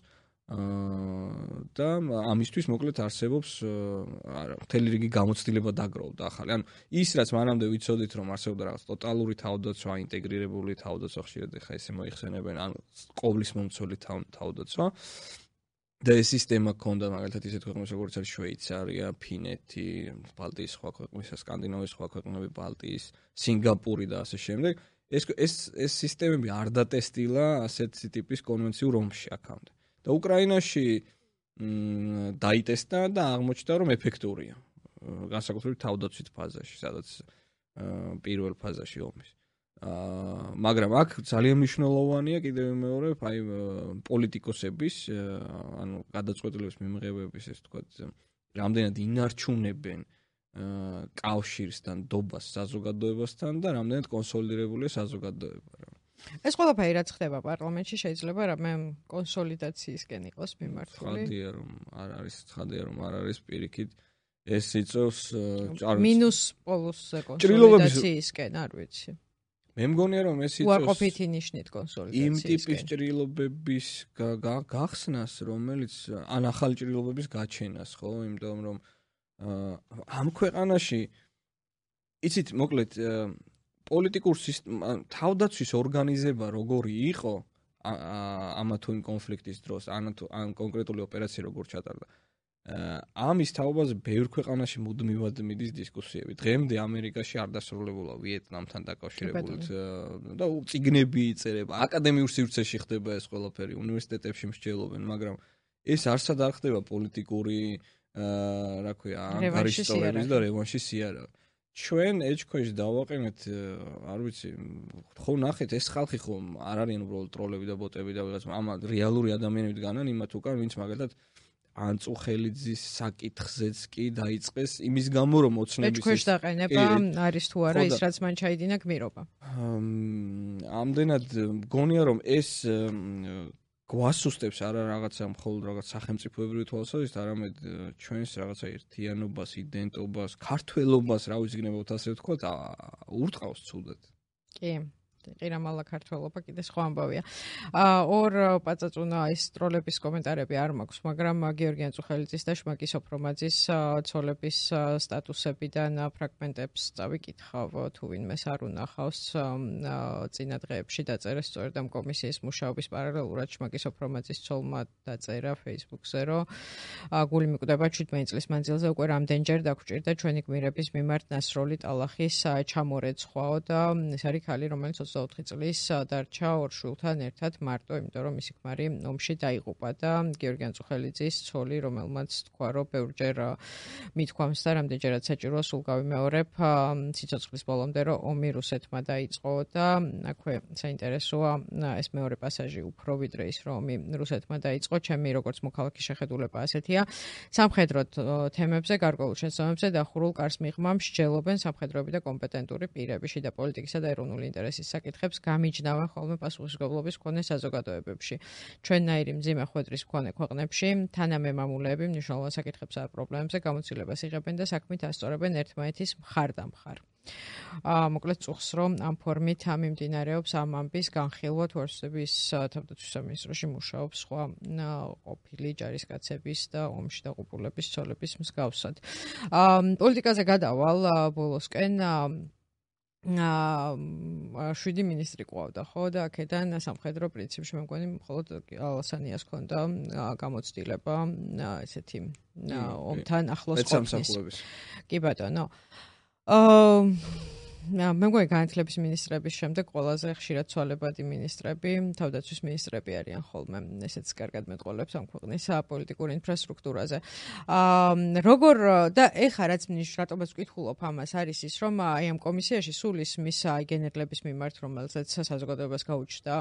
და ამისთვის მოკლედ არსებობს მთელი რიგი გამოცდილება დაგროვდა ახალი. ანუ ის რაც მანამდე ვიცოდით რომ არსებობდა რაღაც ტოტალური თავდაცვა, ინტეგრირებული თავდაცვა, ხშირად ხა ესე მოიხსენებენ, ანუ ყოვლის მომცველი თავდაცვა. და ეს სისტემა ქონდა მაგალითად ისეთ ქვეყნებს როგორც არის შვეიცარია, ფინეთი, ბალტიის სხვა ქვეყნები, სკანდინავიის სხვა ქვეყნები, ბალტიის, სინგაპური და ასე შემდეგ. ეს სისტემები არ დატესტილა ასეთი ტიპის კონვენციურ ომში აქამდე. და უკრაინაში დაიტესტა და აღმოჩნდა რომ ეფექტურია. განსაკუთრებით თავდაცვით ფაზაში, სადაც პირველ ფაზაში ომის. მაგრამ აქ ძალიან მნიშვნელოვანია კიდევ მეორე, აი პოლიტიკოსების, ანუ გადაწყვეტილების მიმღებების, ეს თქვა, რამდენად ინარჩუნებენ კავშირს და ნდობას საზოგადოებასთან და რამდენად კონსოლიდირებულია საზოგადოება. ეს ყველაფერი რაც ხდება პარლამენტში შეიძლება რამე კონსოლიდაციისკენ იყოს მიმართული. ცხადია რომ არ არის პირიქით ეს იწევს მინუს პოლუსზე კონსოლიდაციისკენ, არ ვიცი. მე მგონია რომ ეს იწევს უარყოფითი ნიშნით კონსოლიდაციისკენ. იმ ტიპის ჭრილობების გახსნას, რომელიც ან ახალი ჭრილობების გაჩენას, ხო, იმიტომ რომ ამ ქვეყანაში იცით, მოკლედ პოლიტიკურ თავდაცვის ორგანიზება როგორი იყო ამა თუ იმ კონფლიქტის დროს, ან კონკრეტული ოპერაცია როგორ ჩატარდა. ამის თაობაზე ბევრ ქვეყანაში მუდმივად მიდის დისკუსიები. დღემდე ამერიკაში არ დასრულებულა ვიეტნამთან დაკავშირებული და წიგნები იწერება, აკადემიურ სივრცეში ხდება ეს ყველაფერი, უნივერსიტეტებში მსჯელობენ, მაგრამ ეს არსად არ ხდება პოლიტიკური, რა ქვია, ანგარიშწორების და რევანშის სიარაღე. ჩვენ ეჭქვეშ დავაყენეთ, არ ვიცი, ხო ნახეთ, ეს ხალხი ხო არ არიან უბრალოდ ტროლები და ბოტები და ვიღაც, ამა რეალური ადამიანები დგანან იმათ უკან, ვინც მაგალითად ანწუხელიძის საკითხზეც კი დაიწყეს იმის გამო რომ ოცნების ეჭქვეშ დაყენება არის თუ არა ის რაც მან ჩაიდინა გმირობა. ამდენად მგონია რომ ეს გვასუსტებს არა რაღაცა მხოლოდ რაღაც სახელმწიფოებრივი თვალსაზრისით, არამედ ჩვენს რაღაცა ერთიანობას, იდენტობას, ქართველობას, რა ვიზგნებოთ ასე ვთქვათ, ურტყავს ცუდად. კი. ყირამალა ქართველობა კიდე სხვა ამბავია. ორ პაწაწუნა ის ტროლების კომენტარები არ მაქვს, მაგრამ გიორგი ანწუხელიძის და შმაკი სოფრომაძის ცოლების სტატუსებიდან ფრაგმენტებს წავიკითხავ, თუ ვინმეს არ უნახავს წინა დღეებში დაწერეს სწორედ ამ კომისიის მუშაობის პარალელურად შმაკი სოფრომაძის ცოლმა დაწერა Facebook-ზე, რომ გული მიკვდება 17 წლის მანძილზე უკვე რამდენჯერ დაგვჭირდა ჩვენი გმირების მიმართ ნასროლი ტალახის ჩამორეცხვაო და ეს არის ქალი, რომელიც 24 წლის დარჩა ორ შვილთან ერთად მარტო, იმიტომ რომ მისი ქმარი ომში დაიღუპა და გიორგი ანწუხელიძის ცოლი, რომელმაც თქვა, რომ ბევრჯერ მithქვამს და რამდენჯერაც საჭიროა სულ გავიმეორებ სიცოცხლის ბოლომდე, რომ ომი რუსეთმა დაიწყო და აქვე საინტერესოა ეს მეორე პასაჟი უფრო ვიდრე ის, რომ ომი რუსეთმა დაიწყო, ჩემი როგორც მოქალაქის შეხედულება ასეთია. სამხედრო თემებზე, გარკვეულ შესაბამებზე დახურულ კარს მიღმა მსჯელობენ სამხედროები და კომპეტენტური პირები შიდა პოლიტიკისა და ეროვნული ინტერესის საკითხებს გამიჯნავენ ხოლმე პასუხისმგებლობის მქონე საზოგადოებებში. ჩვენნაირი მძიმე ხვედრის მქონე ქვეყნებში თანამემამულეები მნიშვნელოვან საკითხებს ან პრობლემებზე გამოცდილებას იღებენ და საქმით ასწორებენ ერთმანეთის მხარდამხარ. მოკლედ წუხს რომ ამ ფორმით მიმდინარეობს ამ ამბის განხილვა თუ არსების თავდაცვის სამინისტროში მუშაობს სხვა ყოფილი ჯარისკაცების და ომში დაღუპულების ცოლების მსგავსად. პოლიტიკაზე გადავალ ბოლოსკენ 7 მინისტრი ყავდა, ხო და აქედან სამხედრო პრინციპში მე მგონი მხოლოდ ალასანიას ქონდა გამოცდილება ესეთი ომთან ახლოს ყოფნის. კი ბატონო. მე მგონი განათლების მინისტრების შემდეგ ყველაზე ხშირად ცვალებადი მინისტრები, თავდაცვის მინისტრები არიან ხოლმე, ესეც კარგად მეტყოლებს ამ ქვეყნის პოლიტიკურ ინფრასტრუქტურაზე. როგორ და ეხა რაც რატომაც ვკითხულობ ამას არის ის, რომ აი ამ კომისიაში სულ ისმის გენერლების მიმართ, რომელზეც საზოგადოებას გაუჩნდა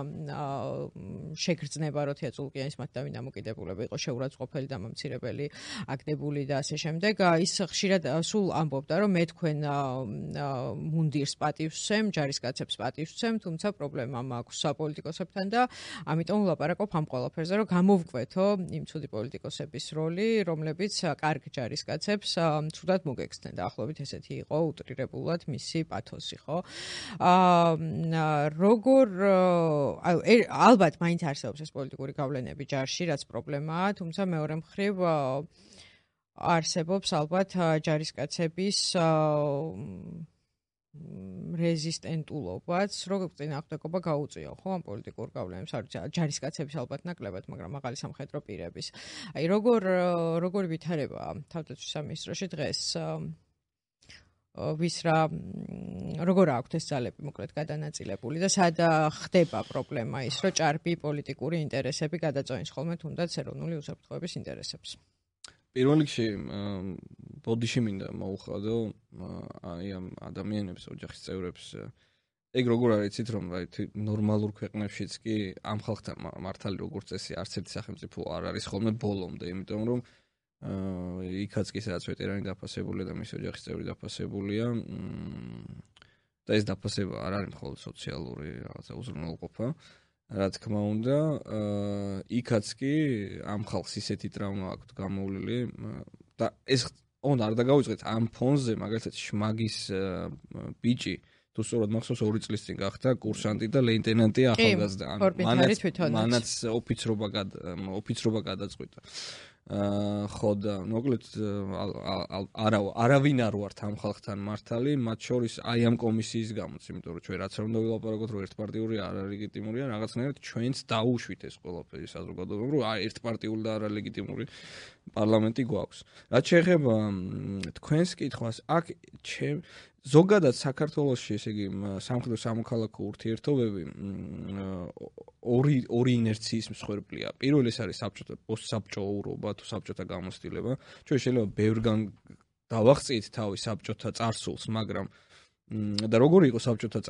შეგრძნება, რომ თეატრულკიანის მათ დავინ დამოკიდებულება იყო შეურაცხყოფელი და მომცირებელი აგდებული და ასე შემდეგ. ის ხშირად სულ ამბობდა, რომ მე თქვენ მუნდირს პატივსცემ, ჯარისკაცებს პატივსცემ, თუმცა პრობლემა მაქვს საპოლიტიკოსებთან და ამიტომ ვლაპარაკობ ამ ყველაფერზე, რომ გამოვკვეთო იმ ცუდი პოლიტიკოსების როლი, რომლებიც კარგ ჯარისკაცებს ცუდად მოგექცნენ და ახლობით ესეთი იყო უტრირებულად მისი პათოსი, ხო? როგორ ალბათ მაინც არსებობს ეს პოლიტიკური გავლენები ჯარში, რაც პრობლემაა, თუმცა მეორე მხრივ არსებობს ალბათ ჯარისკაცების რეზისტენტულობაც, როგორ წინააღმდეგობა გაუწია, ხო, ამ პოლიტიკურ გავლენებს, არ ვიცი, ჯარისკაცების ალბათ ნაკლებად, მაგრამ მაღალი სამხედრო პირების. აი, როგორ ვითარება თავდაცვის სამინისტროში დღეს ვის როგორ აქვთ ეს ძალები მოკლედ გადანაწილებული და სად ხდება პრობლემა ის, რომ ჭარბი პოლიტიკური ინტერესები გადაწყვეტს ხოლმე თუნდაც ეროვნული უსაფრთხოების ინტერესებს. პირველ რიგში ბოდიში მინდა მოუხადო აი ამ ადამიანებს, ოჯახის წევრებს ეგ როგორ არის იცით რომ ნორმალურ ქვეყნებშიც კი ამ ხალხთან მართალი როგორც წესი არც ერთი სახელმწიფო არ არის ხოლმე ბოლომდე, იმიტომ რომ იქაც კი სადაც ვეტერანი დაფასებულია და მისი ოჯახის წევრი დაფასებულია და ეს დაფასება არ არის მხოლოდ სოციალური რაღაცა უზრუნველყოფა, რა თქმა უნდა, იქაც კი ამ ხალხს ისეთი ტრავმა აქვს გამოვლილი და ეს უნდა არ დაგავიწყეთ ამ ფონზე მაგალითად შმაგის ბიჭი თუ სწორად მახსოვს 2 წლის წინ გახდა კურსანტი და ლეიტენანტი ახალგაზრდა. მანაც ოფიცრობა გადაწყვიტა. ხო და მოკლედ არავინ არ ვართ ამ ხალხთან მართალი, მათ შორის აი ამ კომისიის გამოც, იმიტომ რომ ჩვენ რაც არ უნდა ვილაპარაკოთ, რომ ერთპარტიული არ არის ლეგიტიმურია, რაღაცნაირად ჩვენც დაუშვით ეს ყველაფერი საზოგადოებამ, რომ აი ერთპარტიული და არალეგიტიმური პარლამენტი გვაქვს. რაც შეეხება თქვენს კითხვას, აქ ზოგადად საქართველოში, ესე იგი, სამხედრო სამოქალაქო ურთიერთობები ორი ინერციის მსხვერპლია. პირველი ეს არის პოსტსაბჭოურობა თუ საბჭოთა გამოცდილება. ჩვენ შეიძლება ბევრგან დავახციეთ თავი საბჭოთა წარსულს, მაგრამ და როგორი იყო საბჭოთა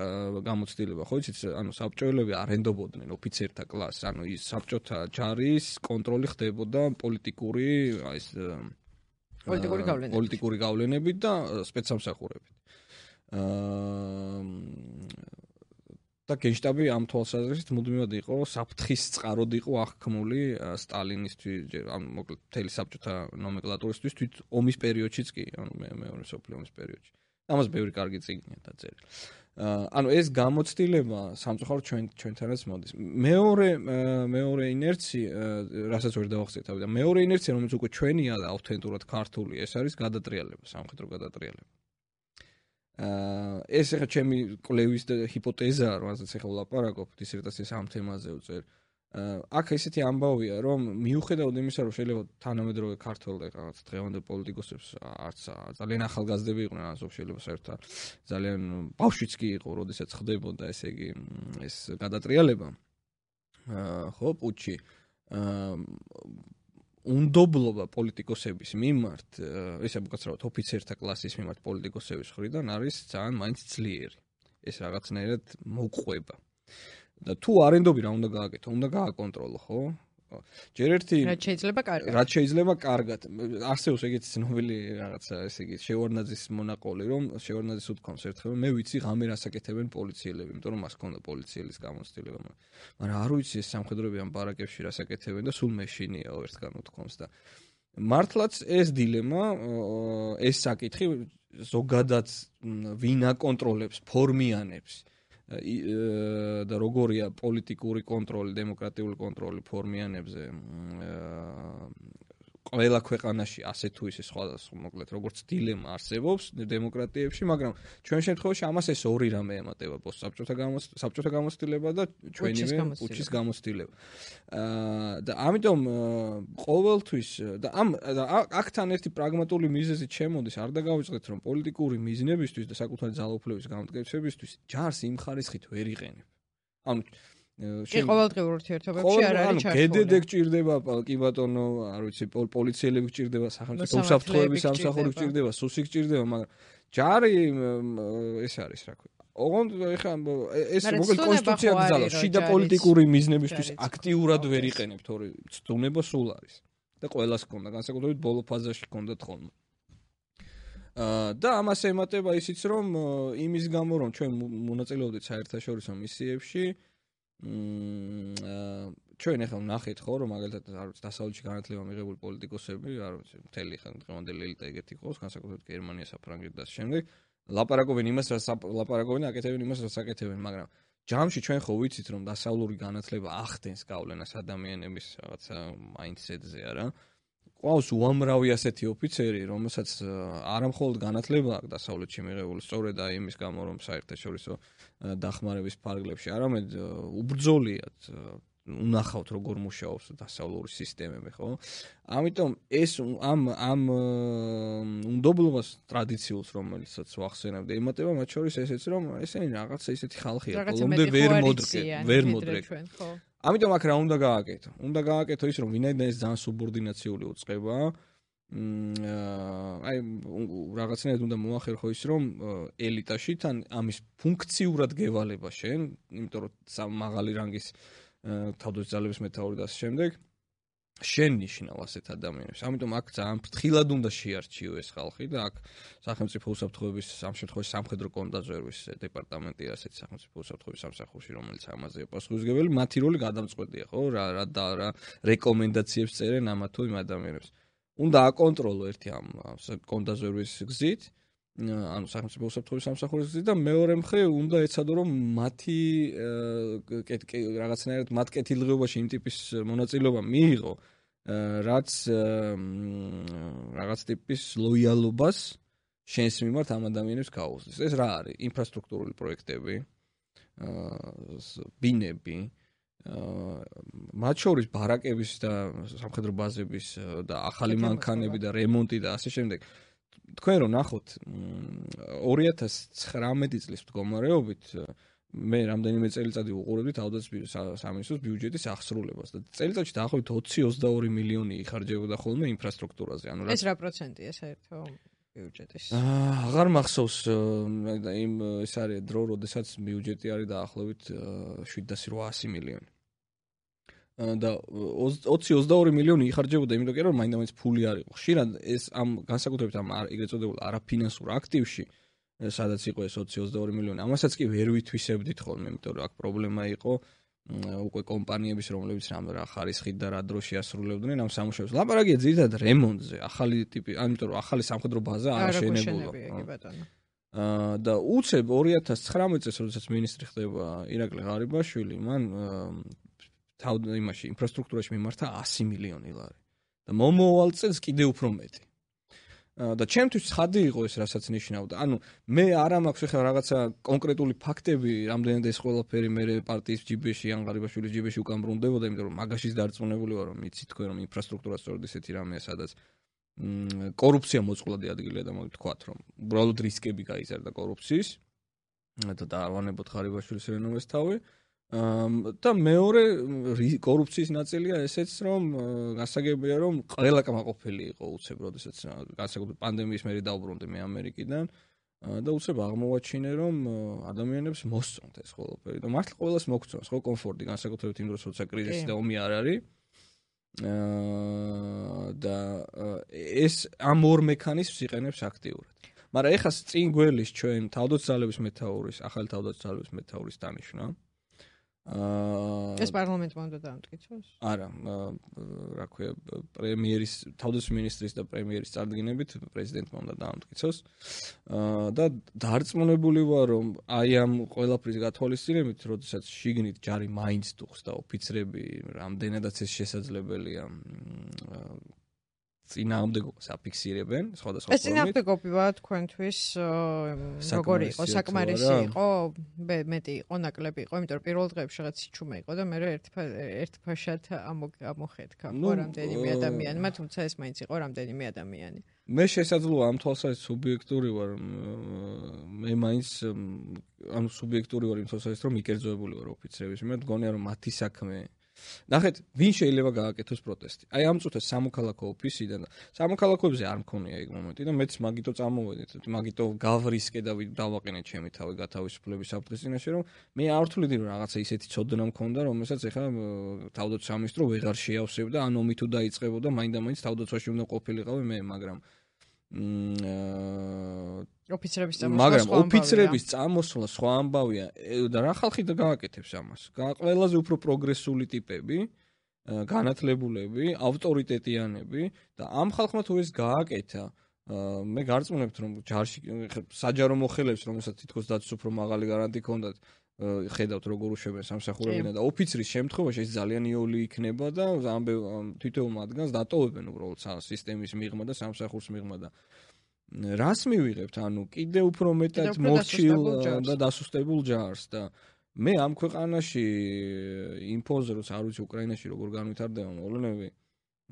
გამოცდილება, ხო იცით, ანუ საბჭოელები არ ენდობოდნენ ოფიცერთა კლასს, ანუ ის საბჭოთა ჯარის კონტროლი ხდებოდა პოლიტიკური გავლენებით და სპეცსამსახურებით. და გენშტაბი ამ თვალსაზრისით მუდმივად იყო საფრთხის წყაროდ იყო აღქმული სტალინისთვის, ანუ მოკლედ მთელი საბჭოთა ნომენკლატურისთვის თვით ომის პერიოდშიც კი, ანუ მეორე მსოფლიო ომის პერიოდში. ამას ბევრი კარგი წიგნია დაწერილი. ანუ ეს გამოცდილება სამწუხაროდ ჩვენთანაც მოდის. მეორე ინერცია, რასაც ვერ დავახსენე თავი და მეორე ინერცია, რომელიც უკვე ჩვენია და ავთენტურად ქართული, ეს არის გადატრიალება, სამხედრო გადატრიალება. ეს ახლა ჩემი კვლევის ჰიპოთეზაა, რომელსაც ახლა ვლაპარაკობ, დისერტაციას ამ თემაზე ვწერ. აქ ესეთი ამბავია, რომ მიუხედავად იმისა, რომ შეიძლება თანამედროვე ქართველ რაღაც დღევანდელ პოლიტიკოსებს არც ძალიან ახალგაზრდები იყვნენ, ან შეიძლება საერთოდ ძალიან ბავშვიც კი იყო, როდესაც ხდებოდა ესე იგი ეს გადატრიალება. ხო, პუჩი. უნდობლობა პოლიტიკოსების მიმართ, ესე უკაცრავად ოფიცერთა კლასის მიმართ პოლიტიკოსების მხრიდან არის ძალიან მაინც ძლიერი. ეს რაღაცნაირად მოყვება. და თუ არ ენდობი რა უნდა გააკეთო? უნდა გააკონტროლო, ხო? ჯერ ერთი რაც შეიძლება კარგად. არსებობს ეგეთი ცნობილი რაღაცა, ესე იგი, შევარნაძის მონაყოლი, რომ შევარნაძის უთქვამს ერთხელ, მე ვიცი ღამე რასაკეთებენ პოლიციელები, იმიტომ რომ მას ჰქონდა პოლიციელის გამოცდილება. მაგრამ არ ვიცი ეს სამხედროები ამ ბარაკებში რასაკეთებენ და სულ მეშინიაო ერთგან უთქვამს და მართლაც ეს დილემა, ეს საკითხი ზოგადად ვინ აკონტროლებს, ფორმიანებს და როგორია პოლიტიკური კონტროლი, დემოკრატიული კონტროლი ფორმიანებზე ყველა ქვეყანაში ასე თუ ისე სხვადასხვა მოკლედ როგორც დილემა არსებობს დემოკრატიებში, მაგრამ ჩვენ შემთხვევაში ამას ეს ორი რამე ემატება, საბჭოთა გამოცდილება და ჩვენივე პუჩის გამოცდილება. და ამიტომ ყოველთვის და აქთან ერთი პრაგმატული მიზეზი შემოდის, არ დაგავიწყდეთ, რომ პოლიტიკური მიზნებისთვის და საკუთარი ძალაუფლების გამტკიცებისთვის ჯარს იმ ხარისხით ვერ იყენებ. ანუ ყოველდღიურ ურთიერთობებში არ არის ჩართული. გედედე გჭირდება, კი ბატონო, არ ვიცი, პოლიციელები გჭირდება, სახელმწიფო უსაფრთხოების სამსახური გჭირდება, სუსი გჭირდება, მაგრამ ჯარი ეს არის, რა ქვია. ოღონდ ეხლა ეს მოკლედ კონსტიტუცია გძალავს, შიდა პოლიტიკური მიზნებისთვის აქტიურად ვერ იყენებ, თორე ცდუნება სულ არის. და ყველას ჰქონდა, განსაკუთრებით ბოლო ფაზაში ჰქონდათ ხოლმე. და ამას ემატება ისიც, რომ იმის გამო, რომ ჩვენ მონაწილეობდით საერთაშორისო მისიებში, ჩვენ ახლა ვნახეთ ხო რომ მაგალითად არ ვიცი დასავლეთში განათლება მიღებული პოლიტიკოსები არ ვიცი მთელი დღევანდელი ელიტა ეგეთი ყავს განსაკუთრებით გერმანია საფრანგეთი და შემდეგ ლაპარაკობენ იმას რაც ლაპარაკობენ აკეთებენ იმას რაც აკეთებენ მაგრამ ჯამში ჩვენ ხო ვიცით რომ დასავლური განათლება ახდენს გავლენას ადამიანების რაღაცა მაინდსეტზე არა ყავს უამრავი ასეთი ოფიცერი რომელსაც არამხოლოდ განათლება აქვს დასავლეთში მიღებული სწორედ აი იმის გამო რომ საერთაშორისო დახმარების ფარგლებში არამედ უბრძოლიათ უნახავთ როგორ მუშაობს დასავლური სისტემები ხო ამიტომ ეს ამ უნდობლობას ტრადიციულს რომელიცაც ვახსენებდი ემატება მათ შორის ესეც რომ ესენი რაღაცა ისეთი ხალხია ბოლომდე ვერ მოდრეკენ ხო ამიტომ აქ რა უნდა გააკეთო? უნდა გააკეთო ის, რომ ვინაიდან ეს ძალიან სუბორდინაციული უწყება, აი რაღაცნაირად უნდა მოახერხო ის რომ ელიტაში თან ამის ფუნქციურად გევალება შენ, იმიტომ რომ მაღალი რანგის თავდაცვალების მეთაური და ასე შემდეგ შენ ნიშნავ ასეთ ადამიანებს. ამიტომ აქ ძალიან ფრთხილად უნდა შეარჩიო ეს ხალხი და აქ სახელმწიფო უსაფრთხოების ამ შემთხვევაში სამხედრო კონდაზვერვის დეპარტამენტი ასეთ სახელმწიფო უსაფრთხოების სამსახურში რომელიც ამაზეა პასუხისმგებელი, მათი როლი გადამწყვეტია, ხო? რა რეკომენდაციებს წერენ ამა თუ იმ ადამიანებს. უნდა აკონტროლო ერთი ამ კონდაზვერვის გზით, ანუ სახელმწიფო უსაფრთხოების სამსახურის გზით და მეორე მხრივ უნდა ეცადო რომ მათი რაღაცნაირად მათ კეთილდღეობაში იმ ტიპის მონაწილეობა მიიღო, რაც რაღაც ტიპის ლოიალობას შენს მიმართ ამ ადამიანებს გაუზრდის. ეს რა არის? ინფრასტრუქტურული პროექტები, ბინები, მათ შორის ბარაკების და სამხედრო ბაზების და ახალი მანქანები და რემონტი და ასე შემდეგ. თქვენ რომ ნახოთ 2019 წლის მდგომარეობით მე რამდენიმე წელიწადი უყურებდი თავდაცვის სამინისტროს ბიუჯეტის აღსრულებას და წელიწადში დაახლოებით 20-22 მილიონი იხარჯებოდა ხოლმე ინფრასტრუქტურაზე. ანუ ეს რა პროცენტია საერთო ბიუჯეტის? აღარ მახსოვს იმ ეს არის დრო, როდესაც ბიუჯეტი არის დაახლოებით 700 მილიონი. და 20-22 მილიონი იხარჯებოდა იმიტომ რომ მაინდა-მაინც ფული არ იყო. ხშირად ეს ამ განსაკუთრებით ამ ეგრეთ წოდებულ არაფინანსურ აქტივში სადაც იყო ეს 20-22 მილიონი, ამასაც კი ვერ ვითვისებდით ხოლმე, იმიტომ რომ აქ პრობლემა იყო უკვე კომპანიების, რომლებიც რა ხარისხით და რა დროში ასრულებდნენ ამ სამუშაოს. ლაპარაკია ძირითადად რემონტზე, ახალი ტიპი, ამიტომ რომ ახალი სამხედრო ბაზა არ აშენებულა. და უცებ 2019 წელს, როდესაც მინისტრი ხდება ირაკლი ღარიბაშვილი, მან იმაში ინფრასტრუქტურაში მიმართა 100 მილიონი ლარი. და მომავალ წელს კიდევ უფრო მეტი. და ჩემთვის ცხადი იყო ეს, რასაც ნიშნავდა. ანუ მე არ მაქვს ახლა რაღაცა კონკრეტული ფაქტები, რამდენად ეს ყველაფერი მე პარტიის ჯიბეში, ან ღარიბაშვილის ჯიბეში უკან ბრუნდებოდა, იმიტომ რომ მაგაშიც დარწმუნებული ვარ, რომ იცით თქვენ რომ ინფრასტრუქტურა სწორედ ესეთი რამეა, სადაც კორუფცია მოწყვლადი ადგილია და მოგთქვათ, რომ უბრალოდ რისკები გაიზარდა კორუფციის და დაავანებოთ ღარიბაშვილის რენომეს თავი. და მეორე კორუფციის ნაწილია ესეც, რომ გასაგებია, რომ ყველა კმაყოფილი იყო უცებ, როდესაც განსაკუთრებით პანდემიის მერე დაუბრუნდი მე ამერიკიდან და უცებ აღმოვაჩინე, რომ ადამიანებს მოსწონთ ეს ყველაფერი და მართლა ყველას მოგწონს ხო კომფორტი, განსაკუთრებით იმ დროს, როცა კრიზისი და ომი არ არის. და ეს ამ ორ მექანიზმს იყენებს აქტიურად. მაგრამ ეხლა წინ გველის ჩვენ თავდაცვალების მეთაურის, ახალი თავდაცვალების მეთაურის დანიშვნა. ეს პარლამენტმა უნდა დაამტკიცოს? არა, რა ქვია, პრემიერის, თავდაცვის მინისტრის და პრემიერის წარდგინებით პრეზიდენტმა უნდა დაამტკიცოს. და დარწმუნებული ვარ, რომ აი ამ ყველაფრის გათვალისწინებით, როდესაც შიგნით ჯარი მაინც დუხს და ოფიცრები რამდენადაც ეს შესაძლებელია წინააღმდეგობას აფიქსირებენ სხვადასხვა ფორმით. ეს წინააღმდეგობა თქვენთვის როგორი იყო? საკმარისი იყო? მეტი იყო, ნაკლები იყო, იმიტომ რომ პირველ დღეებში რაღაც სიჩუმე იყო და მე ერთფაშად ამოხედქა ხო რამდენიმე ადამიანი, თუმცა ეს მაინც იყო რამდენიმე ადამიანი. მე შესაძლოა ამ თვალსაზრისით სუბიექტური ვარ, მე მაინც ანუ სუბიექტური ვარ იმ თვალსაზრისით, რომ მიკერძოებული ვარ ოფიცრების მიმართ, მგონია რომ მათი საქმე ნახეთ, ვინ შეიძლება გააკეთოს პროტესტი? აი ამ წუთას სამოქალაქო ოფისიდან და სამოქალაქოებზე არ მქონია ეგ მომენტი და მეც მაგიტო წამოვედით, მაგიტო გავრისკე და დავაყენე ჩემი თავი გათავისუფლების საფრთხის წინაშე, რომ მე არ ვთვლიდი რომ რაღაცა ისეთი ცოდნა მქონდა, რომელსაც ეხლა თავდაცვის სამინისტრო ვეღარ შეავსებდა, ან ომი თუ დაიწყებოდა, მაინდა-მაინც თავდაცვაში უნდა ყოფილიყავი მე, მაგრამ ოფიცრების წამოსვლა სხვა ამბავია და რა ხალხი და გააკეთებს ამას? ყველაზე უფრო პროგრესული ტიპები, განათლებულები, ავტორიტეტიანები და ამ ხალხმა თუ ეს გააკეთა, მე გარწმუნებთ რომ ჯარში საჯარო მოხელეებს, რომელსაც თითქოს დაცვის უფრო მაღალი გარანტი ჰქონდათ, ხედავთ როგორ უშვებენ სამსახურებიდან და ოფიცრის შემთხვევაში ეს ძალიან იოლი იქნება და თითოეულ მათგანს დატოვებენ უბრალოდ სისტემის მიღმა და სამსახურს მიღმა და რას მივიღებთ? ანუ კიდე უფრო მეტად მორჩილ და დასუსტებულ ჯარს და მე ამ ქვეყანაში ინფოზე როცა არ ვიცი უკრაინაში როგორ განვითარდება მოვლენები,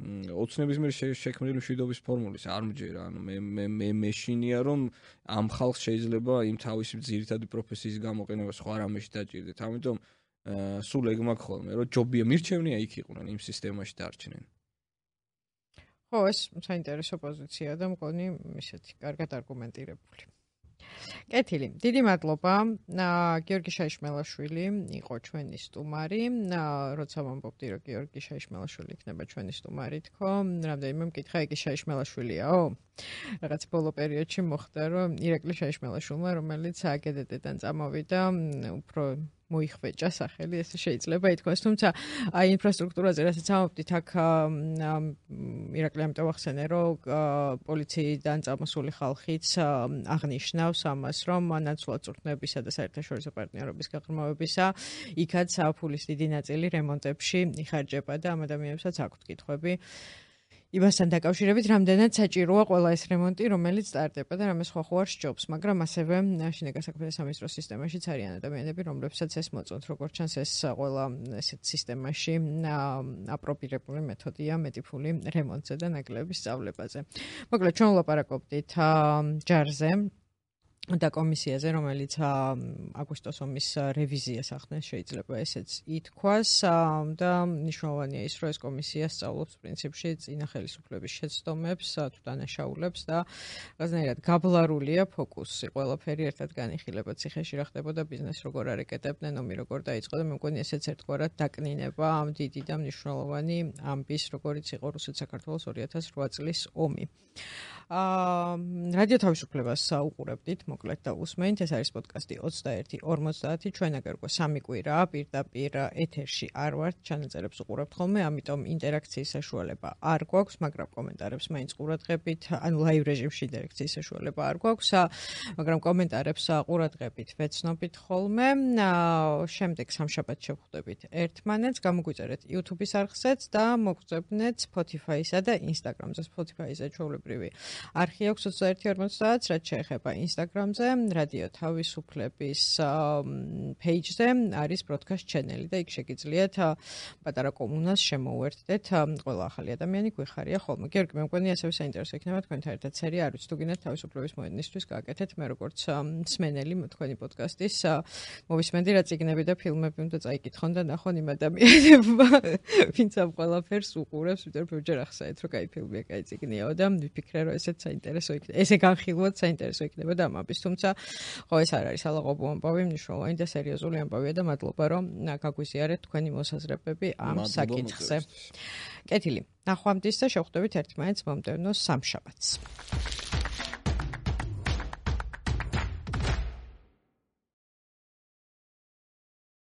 ოცნების მიერ შექმნილი მშვიდობის ფორმულის არ მჯერა. ანუ მე მეშინია რომ ამ ხალხს შეიძლება იმ თავისი ძირითადი პროფესიის გამოყენება სხვა რამეში დაჭირდეთ. ამიტომ სულ ეგ მაქვს ხოლმე, რომ ჯობია მირჩევნია იქ იყვნენ იმ სისტემაში დარჩნენ. ხო, ეს საინტერესო პოზიციაა და მგონი ისეთი კარგად არგუმენტირებული. კეთილი, დიდი მადლობა. გიორგი შაიშმელაშვილი იყო ჩვენი სტუმარი. როცა ვამბობდი, რომ გიორგი შაიშმელაშვილი იქნება ჩვენი სტუმარი, თქო, რამდენიმე მკითხა იგი შაიშმელაშვილიაო? რაღაც ბოლო პერიოდში მოხდა, რომ ირაკლი შაიშმელაშვილმა, რომელიც აკედეტიდან წამოვიდა, უფრო მოიხვეჭა სახელი, ესე შეიძლება ითქვას, თუმცა აი ინფრასტრუქტურაზე რასაც ამბობდით, აქ ირაკლი ამიტომ ახსენე, რომ პოლიციიდან წამოსული ხალხიც აღნიშნავს ამას, რომ ნაცვლად წვრთნებისა და საერთაშორისო პარტნიორობის გაღრმავებისა იქაც ფულის დიდი ნაწილი რემონტებში იხარჯება და ამ ადამიანებსაც აქვთ კითხვები იმასთან დაკავშირებით, რამდენად საჭიროა ყველა ეს რემონტი, რომელიც სტარტდება და რამე სხვა ხო არ სჯობს, მაგრამ ასევე შინაგან საქმეთა სამინისტროს სისტემაშიც არიან ადამიანები, რომლებსაც ეს მოწონთ, როგორც ჩანს ეს ყველა ესეთ სისტემაში აპრობირებული მეთოდია მეტი ფული რემონტზე და ნაკლების სწავლებაზე. მოკლედ, ჩვენ ვლაპარაკობდით ჯარზე და კომისიაზე, რომელიც აგვისტოს ომის რევიზიას ახდენს, შეიძლება ესეც ითქვას და მნიშვნელოვანია ის, რომ ეს კომისია სწავლობს პრინციპში წინა ხელისუფლების შეცდომებს, თუ დანაშაულებს და რაღაცნაირად გაბლარულია ფოკუსი, ყველაფერი ერთად განიხილება, ციხეში რა ხდებოდა, ბიზნეს როგორ არეკეტებდნენ, ომი როგორ დაიწყო და მე მგონი ესეც ერთგვარად დაკნინება ამ დიდი და მნიშვნელოვანი ამბის, როგორიც იყო რუსეთ-საქართველოს 2008 წლის ომი. რადიო თავისუფლებას უყურებდით, მოკლედ და უსმენთ, ეს არის პოდკასტი 21:50, ჩვენ აგერ უკვე 3 კვირა პირდაპირ ეთერში არ ვართ, ჩანაწერებს უყურებთ ხოლმე, ამიტომ ინტერაქციის საშუალება არ გვაქვს, მაგრამ კომენტარებს მაინც ყურადღებით, ანუ ლაივ რეჟიმში ინტერაქციის საშუალება არ გვაქვს, მაგრამ კომენტარებს ყურადღებით ვეცნობით ხოლმე. შემდეგ სამშაბათს შევხვდებით ერთმანეთს, გამოგვიწერეთ YouTube-ის არხზეც და მოგწებნეთ Spotify-სა და Instagram-ზე. Spotify-ზე ჩვეულებრივი არხი აქვს 21:50, რაც შეეხება Instagram-ზე, რადიო თავისუფლების page-ზე არის broadcast channel და იქ შეგიძლიათ პატარა კომუნას შემოუერთდეთ, ყველა ახალი ადამიანი გვიხარია ხოლმე. გიორგი, მე მგონი ასევე საინტერესო იქნება თქვენთან ერთად სერია, არ ვიცი თუ გინდათ თავისუფლების მოედნისთვის გააკეთეთ, მე როგორც მსმენელი თქვენი პოდკასტის მოვისმენდი რა წიგნები და ფილმები უნდა წაიკითხონ და ნახონ იმ ადამიანებმა, ვინც ამ ყველაფერს უყურებს, ვიდრე ბევრჯერ ახსენეთ, რომ კაი ფილმია, კაი წიგნიაო და ვიფიქრე, რომ ესეც საინტერესო იქნება. ესე განხილვად საინტერესო იქნება და ამბის, თუმცა ხო ეს არ არის ალაღობო ამბავი, მნიშვნელოვანი და სერიოზული ამბავია და მადლობა, რომ გაგვიზიარეთ თქვენი მოსაზრებები ამ საკითხზე. კეთილი, ნახვამდის და შევხვდებით ერთმანეთს მომდევნო სამშაბათს.